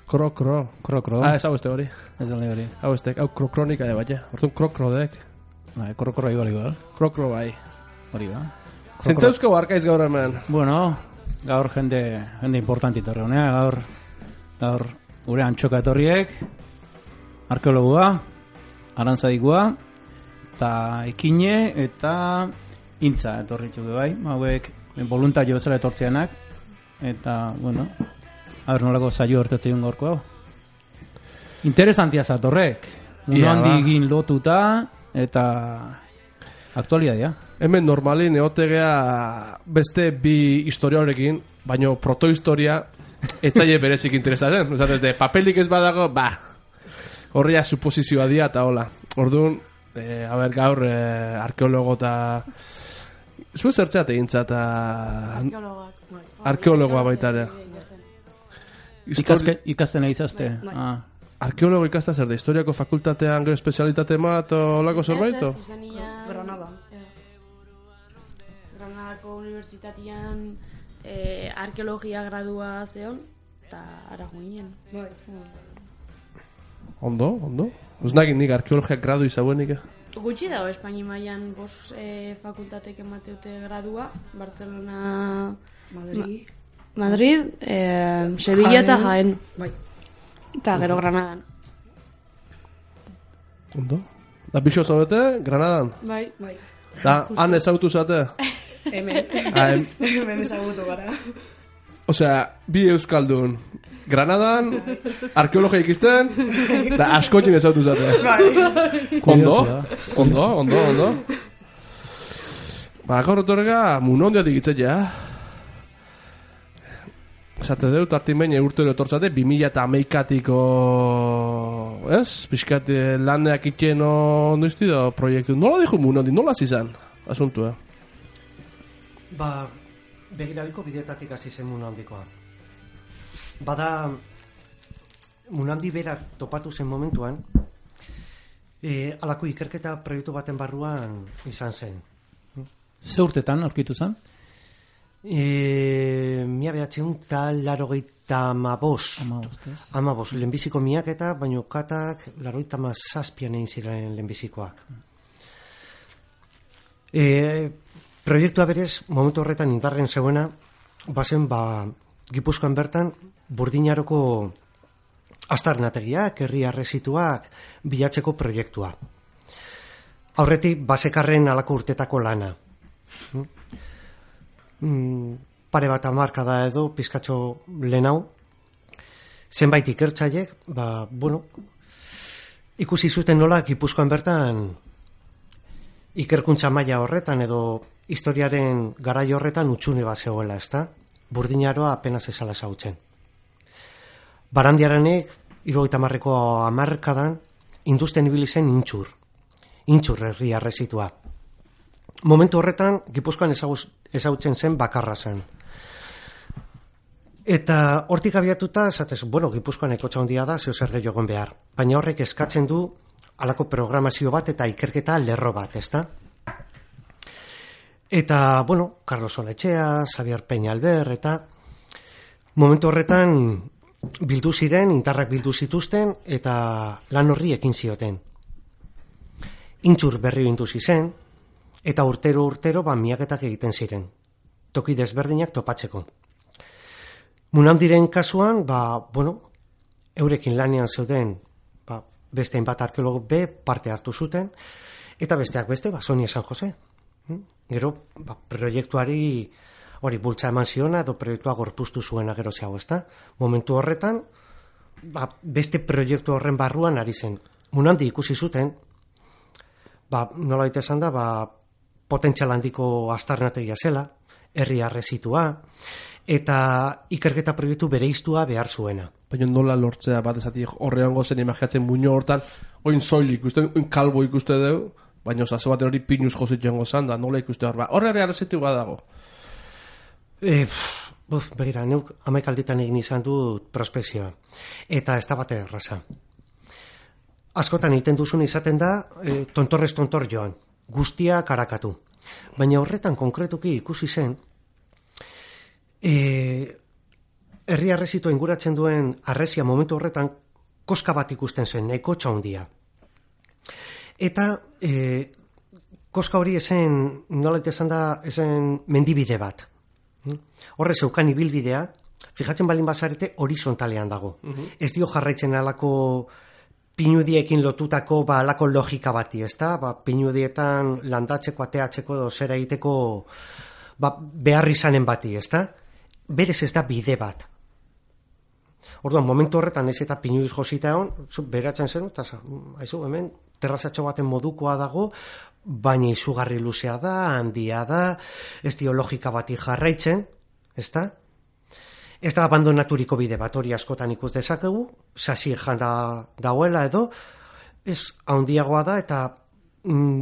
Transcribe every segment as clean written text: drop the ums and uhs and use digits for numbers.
Kro. Ez hau este hori. Ez da hori. Hau este, hau kronika de baina. Hortun krodek. Kro ibali gara. Kro bai. Hori da. Zentzauzko barkaiz gaur hemen. Bueno, gaur jende importanti torre honea, gaur gure antxoka etorriek, arkeologua, arantzadikua, eta ekine eta intza etorritxuke bai, hauek voluntario bezala etortzeanak, eta, bueno, nolako zaio hortetzen gorko hau. Interesantia zatorrek, mundu handigin lotuta, eta aktualitatea. Hemen normalin egotegea beste bi historia horrekin, baino protohistoria etzaile berezik interesatzen. Osatete, papelik ez badago, horria suposizioa dia eta hola. Orduan, gaur arkeologo eta... Zue zertzeat egintza eta... Arkeologoa baita ere. Ikasten egizazte. Arkeologo ikasta zer da, historiako fakultatean gero espezialitate bat o lako zerbait? Ez, Granada. Granadako unibertsitatean arkeologia gradua zeon, eta ara joinen. Ondo. Ez nagin nik arkeologia gradu izabuenik. Gutxi dago, Espaini mailan fakultatek emateute gradua, Barcelona, Madrid, Sevilla eta Jaén. Bai. Eta gero Granadan. Ondo. Da bixo zaudete, Granadan? Bai. Da, han ezautu zate? Hemen. Hemen ezagutu gara. Osea, bi euskaldun. Granadan, arkeologia ikisten, da askotin ezautu zate. Ondo. Gaur otorga, munondia digitzen ja. Zate dut, artin urtero etortzate, 2008-atiko, ez? Piskat laneak itxen ondo iztido proiektu. Nola dijo munondi, nola zizan, asuntua? Begirabiko bideetatik hasi zen munondikoa. Bada, munandi berak topatu zen momentuan, alako ikerketa proiektu baten barruan izan zen. Ze urtetan aurkitu zen? Mia behatzen tal larogeita amabos lehenbiziko miaketa, baino katak larogeita mazazpian egin ziren lehenbizikoak. Proiektua berez, momentu horretan indarren zeuena, bazen Gipuzkoan bertan Burdinaroko aztarnategiak, herri arrezituak bilatzeko proiektua. Aurretik, basekarren alako urtetako lana. Pare bat hamarkada edo pizkatxo lehenau zenbait ikertzaiek ikusi zuten nola Gipuzkoan bertan ikerkuntza maila horretan edo historiaren garai horretan utxune bat zegoela, ezta? Burdinaroa apenas ezala zautzen. Barandiaranek 70ko hamarkadan industen ibili zen intxur herri arrezitua. Momentu horretan, Gipuzkoan ezagutzen zen bakarra zen. Eta hortik abiatuta, esatez, Gipuzkoan ekotxa handia da, zeo zer gehiagoen behar. Baina horrek eskatzen du halako programazio bat eta ikerketa lerro bat, ezta? Eta, Carlos Oletxea, Xavier Peñalver, eta momentu horretan bildu ziren, intarrak bildu zituzten, eta lan horri ekin zioten. Intxur berri binduzi zen, eta urtero miaketak egiten ziren. Toki desberdinak topatzeko. Munandiren kasuan, eurekin lanean zeuden, beste bat arkeologo parte hartu zuten, eta besteak beste, Sonia San Jose. Gero, proiektuari hori bultza eman ziona, edo proiektua gorpuztu zuena gero zehago, ezta? Momentu horretan, beste proiektu horren barruan ari zen. Munandi ikusi zuten, nola baita esan da, potentzial handiko aztarnategia zela, herri arrezitua, eta ikerketa proiektu bereiztua behar zuena. Baina nola lortzea bat ezatik horrean gozen imagiatzen muño hortan, oin soil ikusten, oin kalbo ikuste deu, baina osazo baten hori pinuz jozit joango zan da, nola ikuste hor, horre arrezitu dago. Begira, neuk 11 alditan egin izan dut prospekzioa, eta ez da bat erraza. Askotan egiten duzun izaten da, tontorrez tontor joan, guztia karakatu. Baina horretan konkretuki ikusi zen, herri harresitua inguratzen duen harresia momentu horretan koska bat ikusten zen, nahiko txaundia. Eta koska hori esen, nolet esan da, esen mendibide bat. Horre zeukan ibilbidea, fijatzen balin bazarete horizontalean dago. Ez dio jarraitzen alako pinudiekin lotutako alako logika bati, ezta? Pinudietan landatzeko, ateatzeko, zera egiteko behar izanen bati, ezta? Berez ez da bide bat. Orduan, momentu horretan ez eta pinudiz josita egon, beratzen zen, eta hemen terrazatxo baten modukoa dago, baina izugarri luzea da, handia da, ez dio logika bati jarraitzen, ezta? Ez da abandonaturiko bide bat, hori askotan ikus dezakegu, sasi janda dagoela edo, ez handiagoa da eta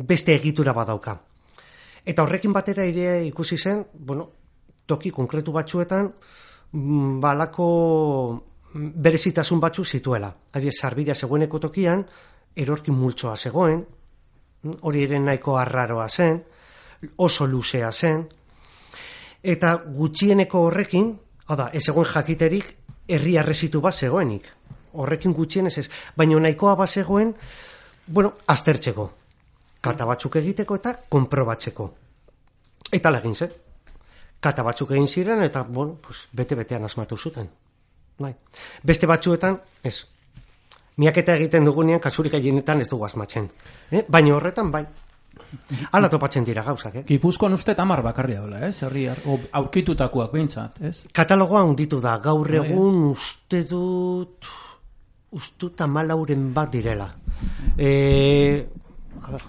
beste egitura badauka. Eta horrekin batera ere ikusi zen, toki konkretu batzuetan, balako berezitasun batzu zituela. Adibidez, sarbidea zegoeneko tokian, erorkin multzoa zegoen, hori ere nahiko arraroa zen, oso luzea zen, eta gutxieneko horrekin, ez egoen jakiterik herri harresitu bat zegoenik. Horrekin gutxienez ez, baina nahikoa bat zegoen, aztertzeko. Kata batzuk egiteko eta konprobatzeko. Eta legin zen. Kata batzuk egin ziren eta, bete-betean asmatu zuten. Beste batzuetan, ez. Miaketa egiten dugunean, kasurik gehienetan ez dugu asmatzen. Baina horretan, bai. Hala topatzen dira gauzak, Gipuzkoan uste 10 bakarri daula, aurkitutakoak behintzat, ez? Katalogoa hunditu da, gaur egun uste dut 14 bat direla. A ber,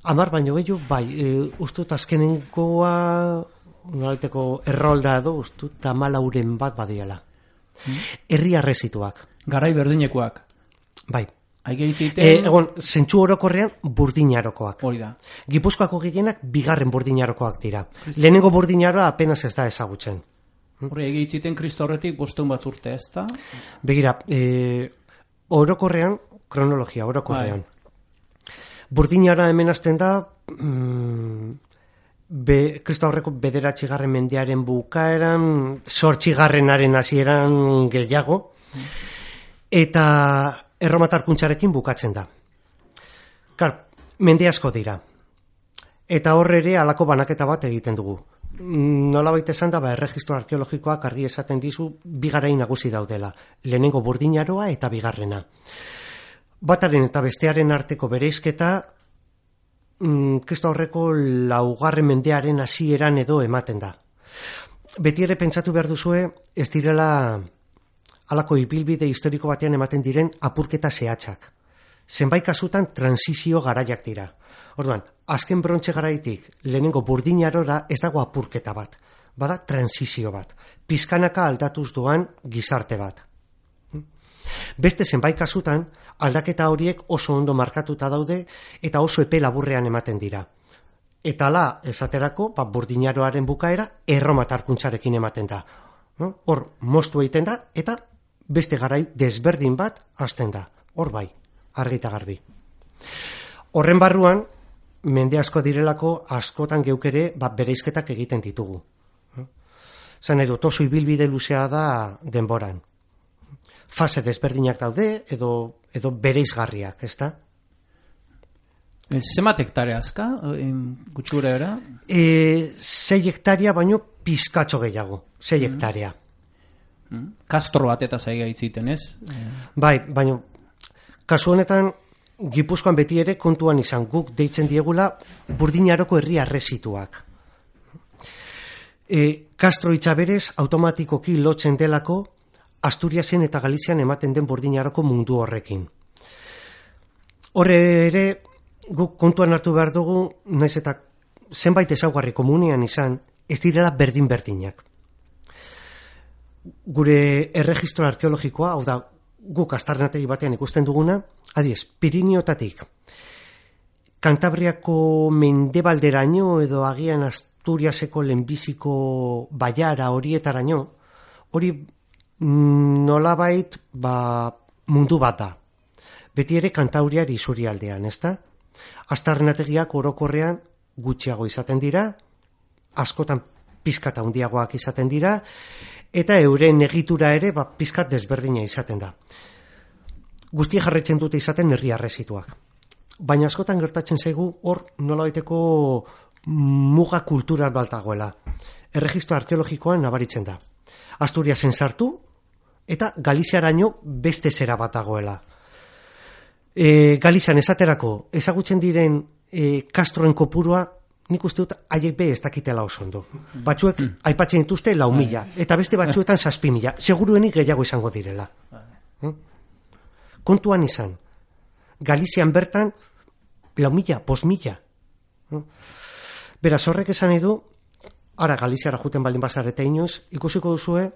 10 baino gehiago, bai, uste dut azkenenkoa, nolaiteko errolda edo, uste dut 14 bat badirela. Herri harrezituak. Garai berdinekoak. Bai. Egon, zentsu orokorrean burdinarokoak. Hori da. Gipuzkoako gehienak bigarren burdinarokoak dira. Lehenengo burdinaroa apenas ez da ezagutzen. Hori egitziten Kristo horretik 500 bat urte, ez da? Begira, orokorrean, kronologia, orokorrean. Burdinara hemen hasten da, Kristo horreko 9. mendearen bukaeran, 8. hasieran gehiago, eta erromatarkuntzarekin bukatzen da. Mende asko dira. Eta horre ere halako banaketa bat egiten dugu. Nolabait esan da, erregistro arkeologikoak argi esaten dizu bi garai nagusi daudela. Lehenengo burdinaroa eta bigarrena. Bataren eta bestearen arteko bereizketa Kristo horreko 4. mendearen hasieran edo ematen da. Beti ere pentsatu behar duzue, ez direla halako ibilbide historiko batean ematen diren apurketa zehatzak. Zenbait kasutan transizio garaiak dira. Orduan, azken brontze garaitik lehenengo burdinarora ez dago apurketa bat. Bada transizio bat. Pizkanaka aldatuz doan gizarte bat. Beste zenbait kasutan aldaketa horiek oso ondo markatuta daude eta oso epe laburrean ematen dira. Eta hala, esaterako, burdinaroaren bukaera erromatarkuntzarekin ematen da. Hor, moztu egiten da eta beste garai desberdin bat hasten da. Hor bai, argita garbi. Horren barruan, mende asko direlako askotan geukere bereizketak egiten ditugu. Zan edo, oso ibilbide luzea da denboran. Fase desberdinak daude edo bereizgarriak, ez da? Zemat hektarea azka, gutxura era? 6 hektaria baino pizkatxo gehiago, 6 hektaria. Kastro bat eta zaiga itziten, ez? Bai, baina kasu honetan Gipuzkoan beti ere kontuan izan guk deitzen diegula burdinaroko herri harrezituak. Kastro hitza berez automatikoki lotzen delako Asturiasen eta Galizian ematen den burdinaroko mundu horrekin. Horre ere guk kontuan hartu behar dugu, naiz eta zenbait ezaugarri komunean izan, ez direla berdin-berdinak. Gure erregistro arkeologikoa, hau da, guk aztarnategi batean ikusten duguna, adiez, Piriniotatik, Kantabriako mendebalderaino edo agian Asturiaseko lehenbiziko baiara horietaraino, hori nolabait mundu bat da. Beti ere Kantauriar isurialdean, ezta? Aztarnategiak orokorrean gutxiago izaten dira, askotan pizkat handiagoak izaten dira, eta euren egitura ere pizkat desberdina izaten da. Guzti jarretzen dute izaten herri arrezituak. Baina askotan gertatzen zaigu hor nolabaiteko muga kultural baltagoela. Erregistro arkeologikoan nabaritzen da. Asturiasen sartu eta Galiziaraino beste zera bat dagoela. Galizian esaterako ezagutzen diren kastroen kopurua nik uste dut haiek be ez dakitela oso ondo. Batzuek aipatzen dituzte 4.000 eta beste batzuetan 7.000. Seguruenik gehiago izango direla. Kontuan izan. Galizian bertan 4.000, 5.000. Beraz, horrek esan edu, ara Galiziara juten baldin bazarete inoiz, ikusiko duzue,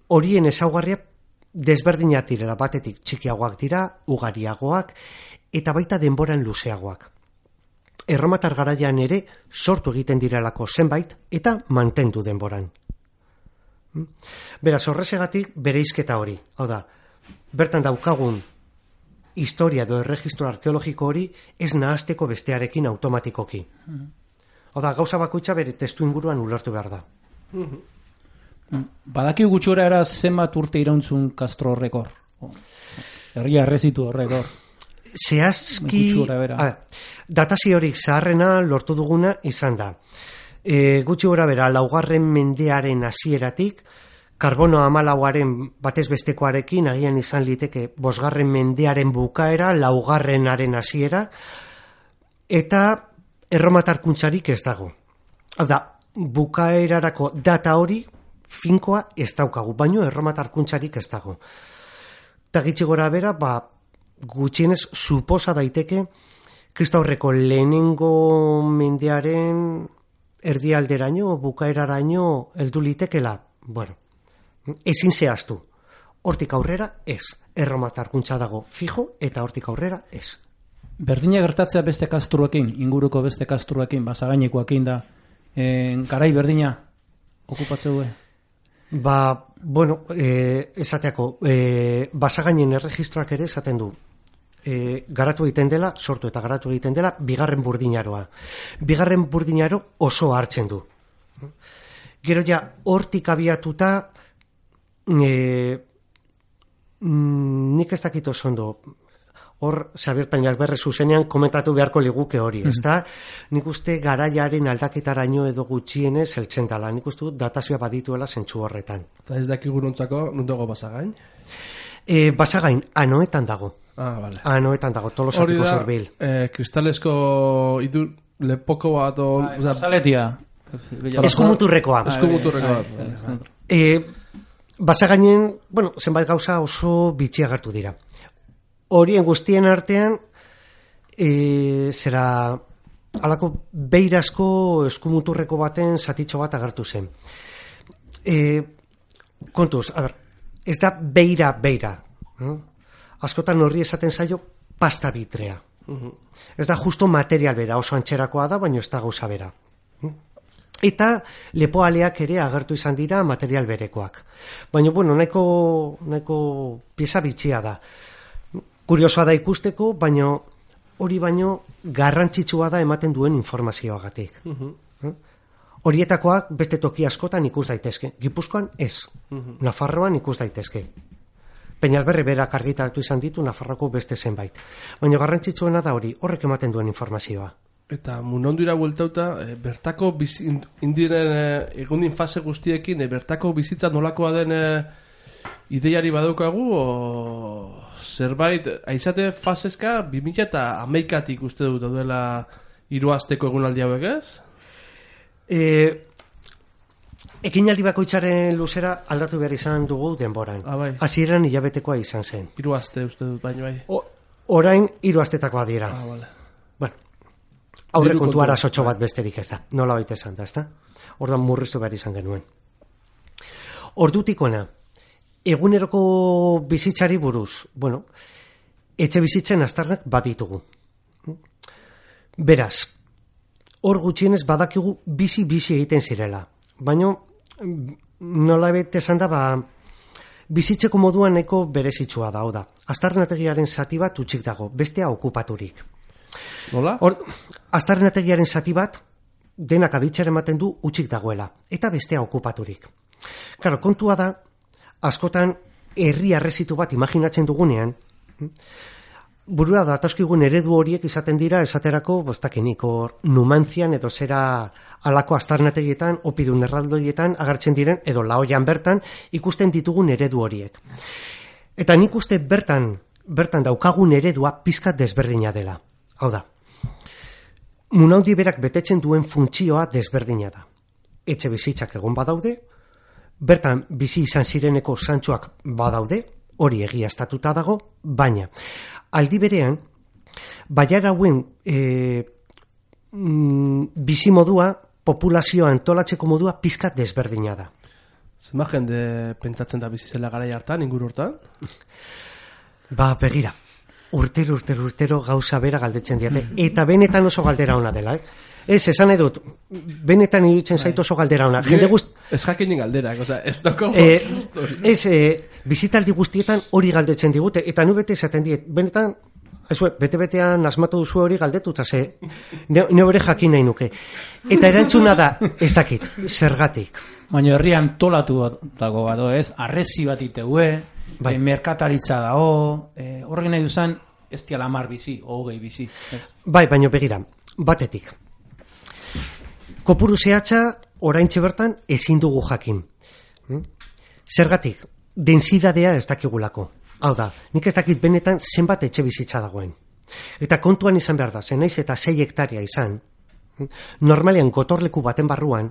horien ezaugarria desberdinak direla, batetik txikiagoak dira, ugariagoak, eta baita denboran luzeagoak. Erromatar garaian ere sortu egiten direlako zenbait, eta mantendu denboran. Beraz, horrezegatik bereizketa hori. Hau da, bertan daukagun historia edo erregistro arkeologiko hori ez nahazteko bestearekin automatikoki. Hau da, gauza bakoitza bere testu inguruan ulertu behar da. Badaki gutxora era zenbat urte irauntzun Castro horrek hor. Herria errezitu horrek hor. Zehazki, datazio horik zaharrena lortu duguna izan da. Gutxi gora bera, 4. mendearen hasieratik, karbono 14aren batez bestekoarekin agian izan liteke 5. mendearen bukaera, 4. hasiera, eta erromatarkuntzarik ez dago. Hau da, bukaerarako data hori finkoa ez daukagu, baino erromatarkuntzarik ez dago. Eta gitxi gora bera, gutxienez suposa daiteke Kristaurreko lehenengo mendearen erdialderaino, bukaeraraino heldu litekela. Bueno, ezin zehaztu. Hortik aurrera ez. Erromatarkuntza dago fijo eta hortik aurrera ez. Berdina gertatzea beste kastruekin, inguruko beste kastruekin, basagainekoekin da, garai berdina okupatzeu du? Bueno, esateako, basagainen erregistroak ere esaten du. Garatu egiten dela, sortu eta garatu egiten dela, 2. burdinaroa. 2. burdinaro oso hartzen du. Gero ja, hortik abiatuta, nik ez dakit oso ondo, hor, Xabier Peñalberre zuzenean komentatu beharko liguke hori, ezta? Nik uste garaiaren aldaketaraino edo gutxienez heltzen dela, nik uste datazioa badituela zentzu horretan. Eta ez dakigu nontzako, nondago Basagain? Basagain, Anoetan dago. Vale. Anoetan dago, Tolosatiko zurbil. Kristalesko lepoko bat, Zaletia. Eskumuturrekoa. Basagainen, bueno, zenbait gauza oso bitxi agertu dira. Horien guztien artean, zera, alako beirazko eskumuturreko baten zatitxo bat agertu zen. Kontuz, ez da beira. Askotan horri esaten zaio pasta bitrea. Ez da justo material bera, oso antxerakoa da, baina ez da gauza bera. Eta lepoaleak ere agertu izan dira material berekoak. Baina, bueno, nahiko pieza bitxia da. Kuriosoa da ikusteko, baina hori baino garrantzitsua da ematen duen informazioagatik. Horietakoak beste toki askotan ikus daitezke. Gipuzkoan ez. Nafarroan ikus daitezke. Peñalberre berak argitaratu izan ditu Nafarroko beste zenbait. Baina garrantzitsuena da hori, horrek ematen duen informazioa. Eta munondura bueltauta, bertako indiren egundin fase guztiekin, bertako bizitza nolakoa den ideiari badaukagu, o zerbait, aizate fasezka 2011 uste dut daudela 3 asteko egunaldi hauek, ez? Ekinaldi bakoitzaren luzera aldatu behar izan dugu denboran. Bai. Hasieran hilabetekoa izan zen. 3 aste uste dut baino bai. Orain 3 astetakoa dira. Vale. Bueno, aurre kontu arazotxo bat besterik ez da. Nola baita esan da, ez da? Ordan murriztu behar izan genuen. Ordutikona, eguneroko bizitzari buruz, bueno, etxe bizitzen aztarnak baditugu. Beraz, hor gutxienez badakigu bizi egiten zirela. Baina, nola bete esan da, bizitzeko moduan nahiko berezitsua da, da. Aztarnategiaren zati bat utxik dago, bestea okupaturik. Nola? Aztarnategiaren zati bat denak aditzera ematen du utzik dagoela, eta bestea okupaturik. Claro, kontua da, askotan herri arrezitu bat imaginatzen dugunean, burura datozkigun eredu horiek izaten dira esaterako, boztakenik, Numantzian edo zera alako astarnategietan, opidun erraldoietan agertzen diren, edo laoian bertan ikusten ditugun eredu horiek. Eta nik uste bertan daukagun eredua pizkat desberdina dela. Hau da, munaundi berak betetzen duen funtzioa desberdina da. Etxe bizitzak egon badaude, bertan bizi izan zireneko santxoak badaude, hori egiaztatuta dago, baina aldi berean, baiara hauen bizi modua, populazioa antolatzeko modua pizkat desberdina da. Zenba jende pentsatzen da bizizela garai hartan, inguru hortan? Ba, begira, urtero gauza bera galdetzen diate, eta benetan oso galdera ona dela, Ez, esan edut, benetan iruditzen zait oso galdera ona. Ez jakinen galderak, ez doko... Bizitaldi guztietan hori galdetzen digute, eta nu bete esaten diet, benetan, bete-betean asmatu duzu hori galdetuta, ne hori jakin nahi nuke. Eta erantzuna da, ez dakit, zergatik. Baina herrian tolatu dago bado, ez? Arrezi bat iteue, merkataritza dago, horrek nahi duzan, ez diala 10 bizi, hogei bizi. Bai, baina begira, batetik. Kopuru zehatza, oraintxe bertan, ezin dugu jakin. Zergatik, densidadea ez dakigulako. Hau da, nik ez dakit benetan zenbat etxe bizitza dagoen. Eta kontuan izan behar da, zenaiz eta 6 hektaria izan, normalean gotorleku baten barruan,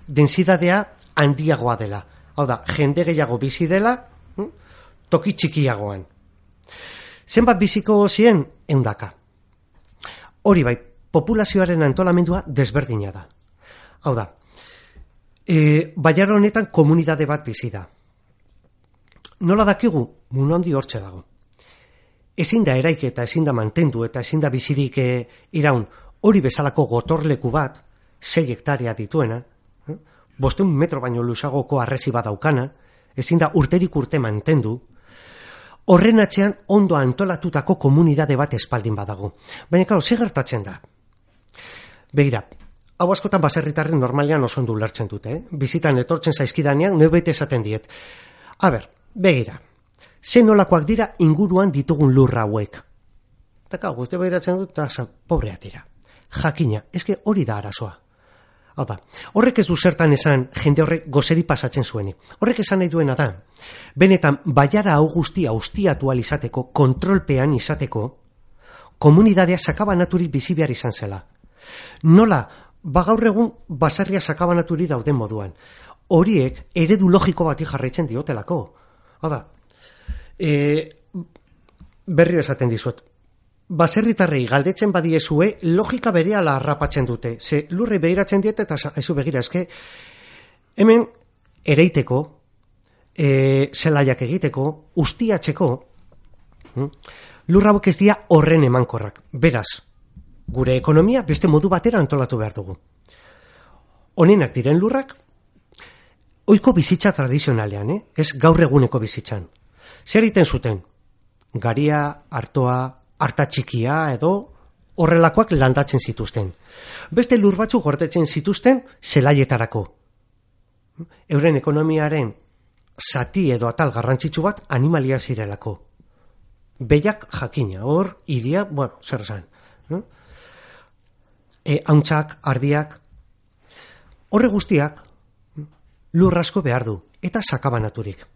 densidadea handiagoa dela. Hau da, jende gehiago bizi dela, toki txikiagoan. Zenbat biziko zien, 100. Hori bai, populazioaren antolamendua desberdina da. Hau da, Baiara honetan komunitate bat bizi da. Nola dakigu? Mundu handi hortxe dago. Ezin da eraik eta ezin da mantendu eta ezin da bizirik iraun hori bezalako gotorleku bat, 6 hektaria dituena, 500 metro baino luzagoko arrezi bat daukana, ezin da urterik urte mantendu, horren atzean ondo antolatutako komunitate bat espaldin badago. Baina, klaro, ze gertatzen da? Begira, hau askotan baserritarren normalean oso ondo ulertzen dute, bizitan etortzen zaizkidanean, neu bete esaten diet. Begira, ze nolakoak dira inguruan ditugun lurra hauek. Eta guzti behiratzen dut, eta pobrea dira. Jakina, eske hori da arazoa. Hau da, horrek ez du zertan esan jende horrek gozeri pasatzen zuenik. Horrek esan nahi duena da, benetan baiara hau guztia ustiatu izateko, kontrolpean izateko, komunitatea sakabanaturik bizi behar izan zela. Nola, gaur egun baserria sakabanaturi dauden moduan. Horiek eredu logiko bati jarraitzen diotelako. Hau da, berri esaten dizuet. Baserritarrei galdetzen badiezue, logika berehala harrapatzen dute. Ze lurrei behiratzen diete eta ezu begira, eske hemen ereiteko, zelaiak egiteko, ustiatzeko, lurra hauek ez dira horren emankorrak. Beraz, gure ekonomia beste modu batera antolatu behar dugu. Honenak diren lurrak, ohiko bizitza tradizionalean, ez gaur eguneko bizitzan. Zer egiten zuten? Garia, artoa, arta txikia edo horrelakoak landatzen zituzten. Beste lur batzuk gordetzen zituzten zelaietarako. Euren ekonomiaren zati edo atal garrantzitsu bat animalia zirelako. Behiak jakina, hor, idia, zer esan. Hauntzak, ardiak, horre guztiak lur asko behar du, eta sakabanaturik.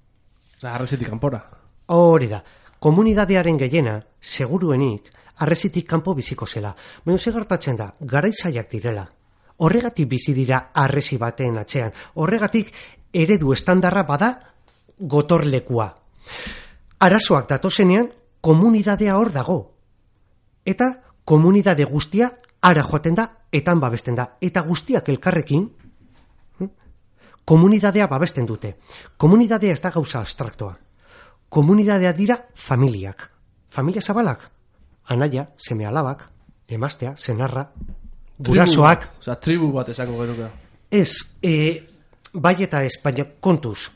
Arrezitik kanpora. Hori da, komunitatearen gehiena, seguruenik, arrezitik kanpo biziko zela. Baina ze gertatzen da, garaizaiak direla. Horregatik bizi dira arrezi baten atzean. Horregatik eredu estandarra bada gotorlekua. Arazoak datozenean, komunitatea hor dago. Eta komunitate guztia ara joaten da, etan babesten da. Eta guztiak elkarrekin, komunitatea babesten dute. Komunitatea ez da gauza abstraktoa. Komunitatea dira familiak. Familia zabalak. Anaia, seme alabak, emaztea, senarra, gurasoak. Tribu bat esango genuke. Ez, bai eta ez, baina kontuz.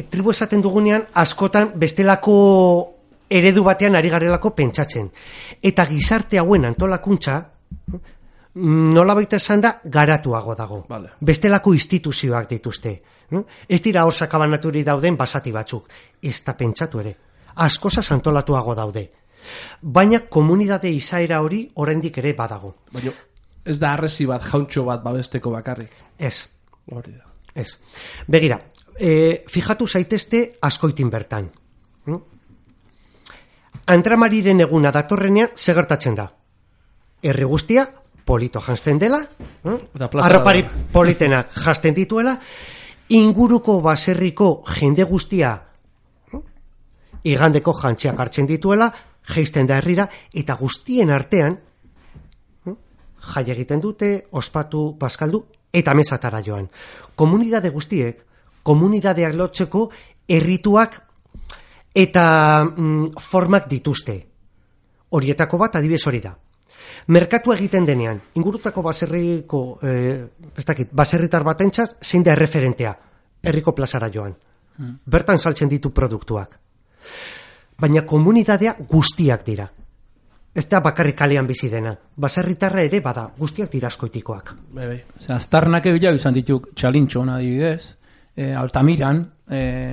Tribu esaten dugunean, askotan bestelako eredu batean ari garelako pentsatzen. Eta gizarte hauen antolakuntza, nolabait esan da, garatuago dago. Vale. Bestelako instituzioak dituzte. Ez dira hor sakabanaturi dauden basati batzuk. Ez da pentsatu ere. Askosa antolatuago daude. Baina komunidade izaera hori oraindik ere badago. Baina ez da arresi bat, jauntxo bat babesteko bakarrik. Ez. Hori da. Ez. Begira, fijatu zaitezte Azkoitin bertan. Antramariren eguna datorrenean segertatzen da. Herri guztia polito janzten dela, arropari politenak janzten dituela, inguruko baserriko jende guztia igandeko jantziak hartzen dituela, jeisten da herrira, eta guztien artean jai egiten dute, ospatu, bazkaldu, eta mesatara joan. Komunidade guztiek, komunidadeak lotzeko errituak eta formak dituzte. Horietako bat adibidez hori da. Merkatua egiten denean, ingurutako baserriko, baserritar batentzat, zein da erreferentea, herriko plazara joan. Bertan saltzen ditu produktuak. Baina komunidadea guztiak dira. Ez da bakarrik kalean bizi dena. Baserritarra ere bada, guztiak dira Azkoitikoak. Aztarnak egilau izan dituk Txalintxon adibidez, Altamiran,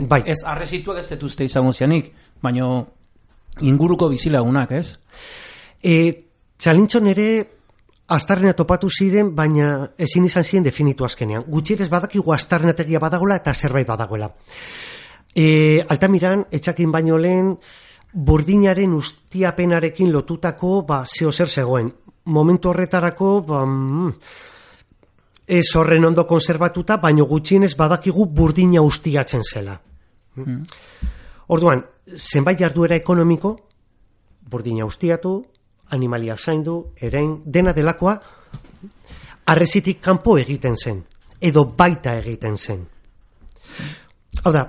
bai. Ez arrezituak ez detuzte izango zianik, baina inguruko bizilagunak, ez? Txalintxon ere aztarnea topatu ziren, baina ezin izan ziren definitu azkenean. Gutxierez badakigu aztarnategia badagoela eta zerbait badagoela. Altamiran, etxakin baino lehen, burdinaren ustiapenarekin lotutako zeo zer zegoen. Momentu horretarako ez horren ondo konservatuta, baino gutxienez badakigu burdina ustiatzen zela. Orduan, zenbait jarduera ekonomiko, burdina ustiatu, animaliak zaindu, erein, dena delakoa, arrezitik kanpo egiten zen, edo baita egiten zen. Hau da,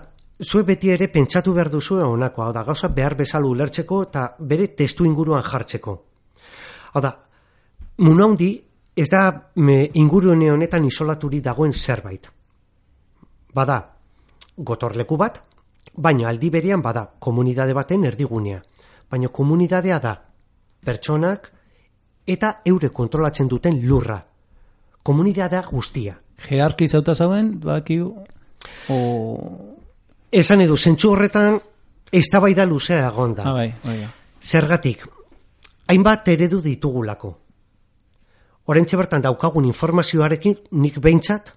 zuek beti ere pentsatu behar duzu honakoa, hau da, gauza behar bezala ulertzeko eta bere testu inguruan jartzeko. Hau da, muna handi, ez da ingurune honetan isolaturi dagoen zerbait. Bada, gotorleku bat, baina aldi berean bada, komunidade baten erdigunea. Baina komunidadea da, pertsonak eta eure kontrolatzen duten lurra. Komunidadea guztia. Jerarki zauta zauen, bakiu, Esan edu, zentsu horretan eztabaida luzea egon da. Bai. Zergatik, hainbat eredu ditugulako. Oraintxe bertan daukagun informazioarekin nik behintzat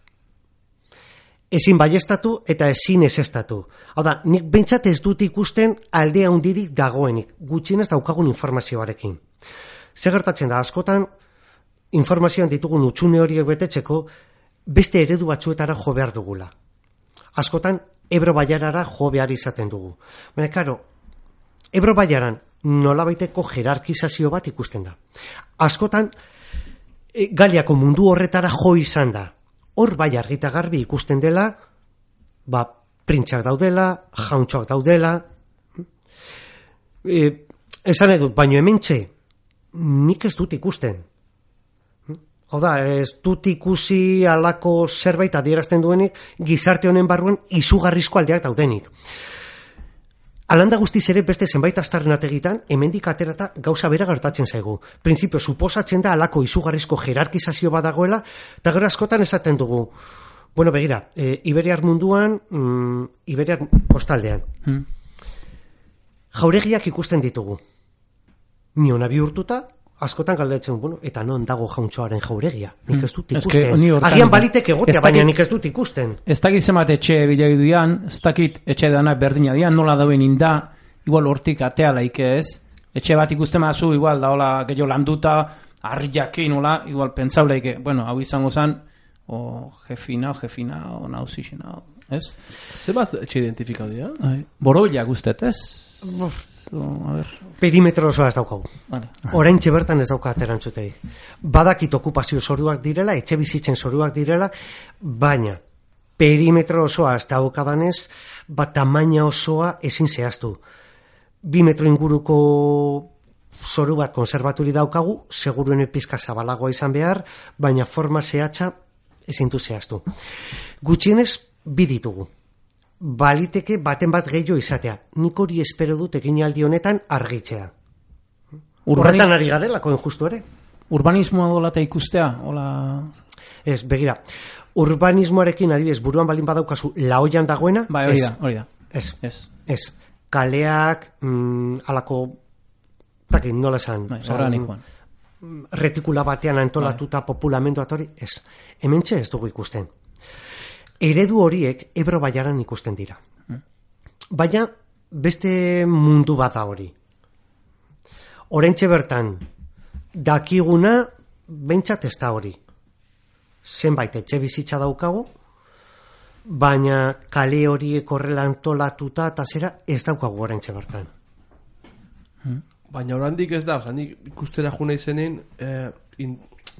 ezin baiestatu eta ezin ezestatu. Hau da, nik behintzat ez dut ikusten aldea hundirik dagoenik, gutxienez daukagun informazioarekin. Zer gertatzen da, askotan informazioan ditugun utxune horiek betetzeko beste eredu batzuetara jo behar dugula. Askotan Ebro Bailarara jo behar izaten dugu. Baina, karo, Ebro Bailaran nolabaiteko jerarkizazio bat ikusten da. Askotan, Galiako mundu horretara jo izan da. Hor bai argita garbi ikusten dela, printzak daudela, jauntxoak daudela. Esan edut, baino hementxe, nik ez dut ikusten. Hau da, ez dut ikusi alako zerbait adierazten duenik gizarte honen barruan izugarrizko aldeak daudenik. Alanda guztiz ere beste zenbait aztarnategitan hemendik aterata gauza bera gertatzen zaigu. Printzipio, suposatzen da alako izugarrizko jerarkizazio badagoela, eta gero askotan esaten dugu. Bueno, begira, Iberiar munduan, Iberiar kostaldean. Jauregiak ikusten ditugu. Miona bihurtuta, askotan galdetzen, bueno, eta non dago jauntxoaren jauregia? Nik ez dut ikusten. Agian balitek egotea, baina nik ez dut ikusten. Ez dakit zemat etxe bilegi dian, ez dakit etxe danak berdina dian, nola dauen inda, igual hortik atea laike ez. Etxe bat ikusten mazu, igual da hola gehiago landuta, harriakin, hola, igual pentsau laike, bueno, hau izango zen, jefina, o nauzixina, ez? Zer bat etxe identifikau dira? Boroila guztet, ez? A ver. Perimetro osoa ez daukagu. Vale. Oraintxe bertan ez dauka aterantzutei. Badakit okupazio zoruak direla, etxe bizitzen zoruak direla, baina perimetro osoa ez daukadanez, tamaina osoa ezin zehaztu. 2 metro inguruko zoru bat konserbaturi daukagu, seguruen pizka zabalagoa izan behar, baina forma zehatza ezin du zehaztu. Gutxienez, 2 ditugu. Baliteke baten bat gehiago izatea. Nik hori espero dut eginaldi honetan argitzea. Horretan ari garelako justu ere. Urbanismoa dolata ikustea? Ola... Ez, begira, urbanismoarekin adibidez buruan baldin badaukazu laoian dagoena, Bai, hori da. Ez. Kaleak, alako, takin, nola esan. Organikoan. Retikula batean antolatuta populamendu hori, ez. Hementxe ez dugu ikusten. Eredu horiek Ebro baiaran ikusten dira. Baina beste mundu bat da hori. Oraintxe bertan dakiguna behintzat ez da hori. Zenbait etxe bizitza daukagu, baina kale horiek horrela antolatuta eta zera ez daukagu oraintxe bertan. Baina oraindik ez da, nik ikustera juna izenin,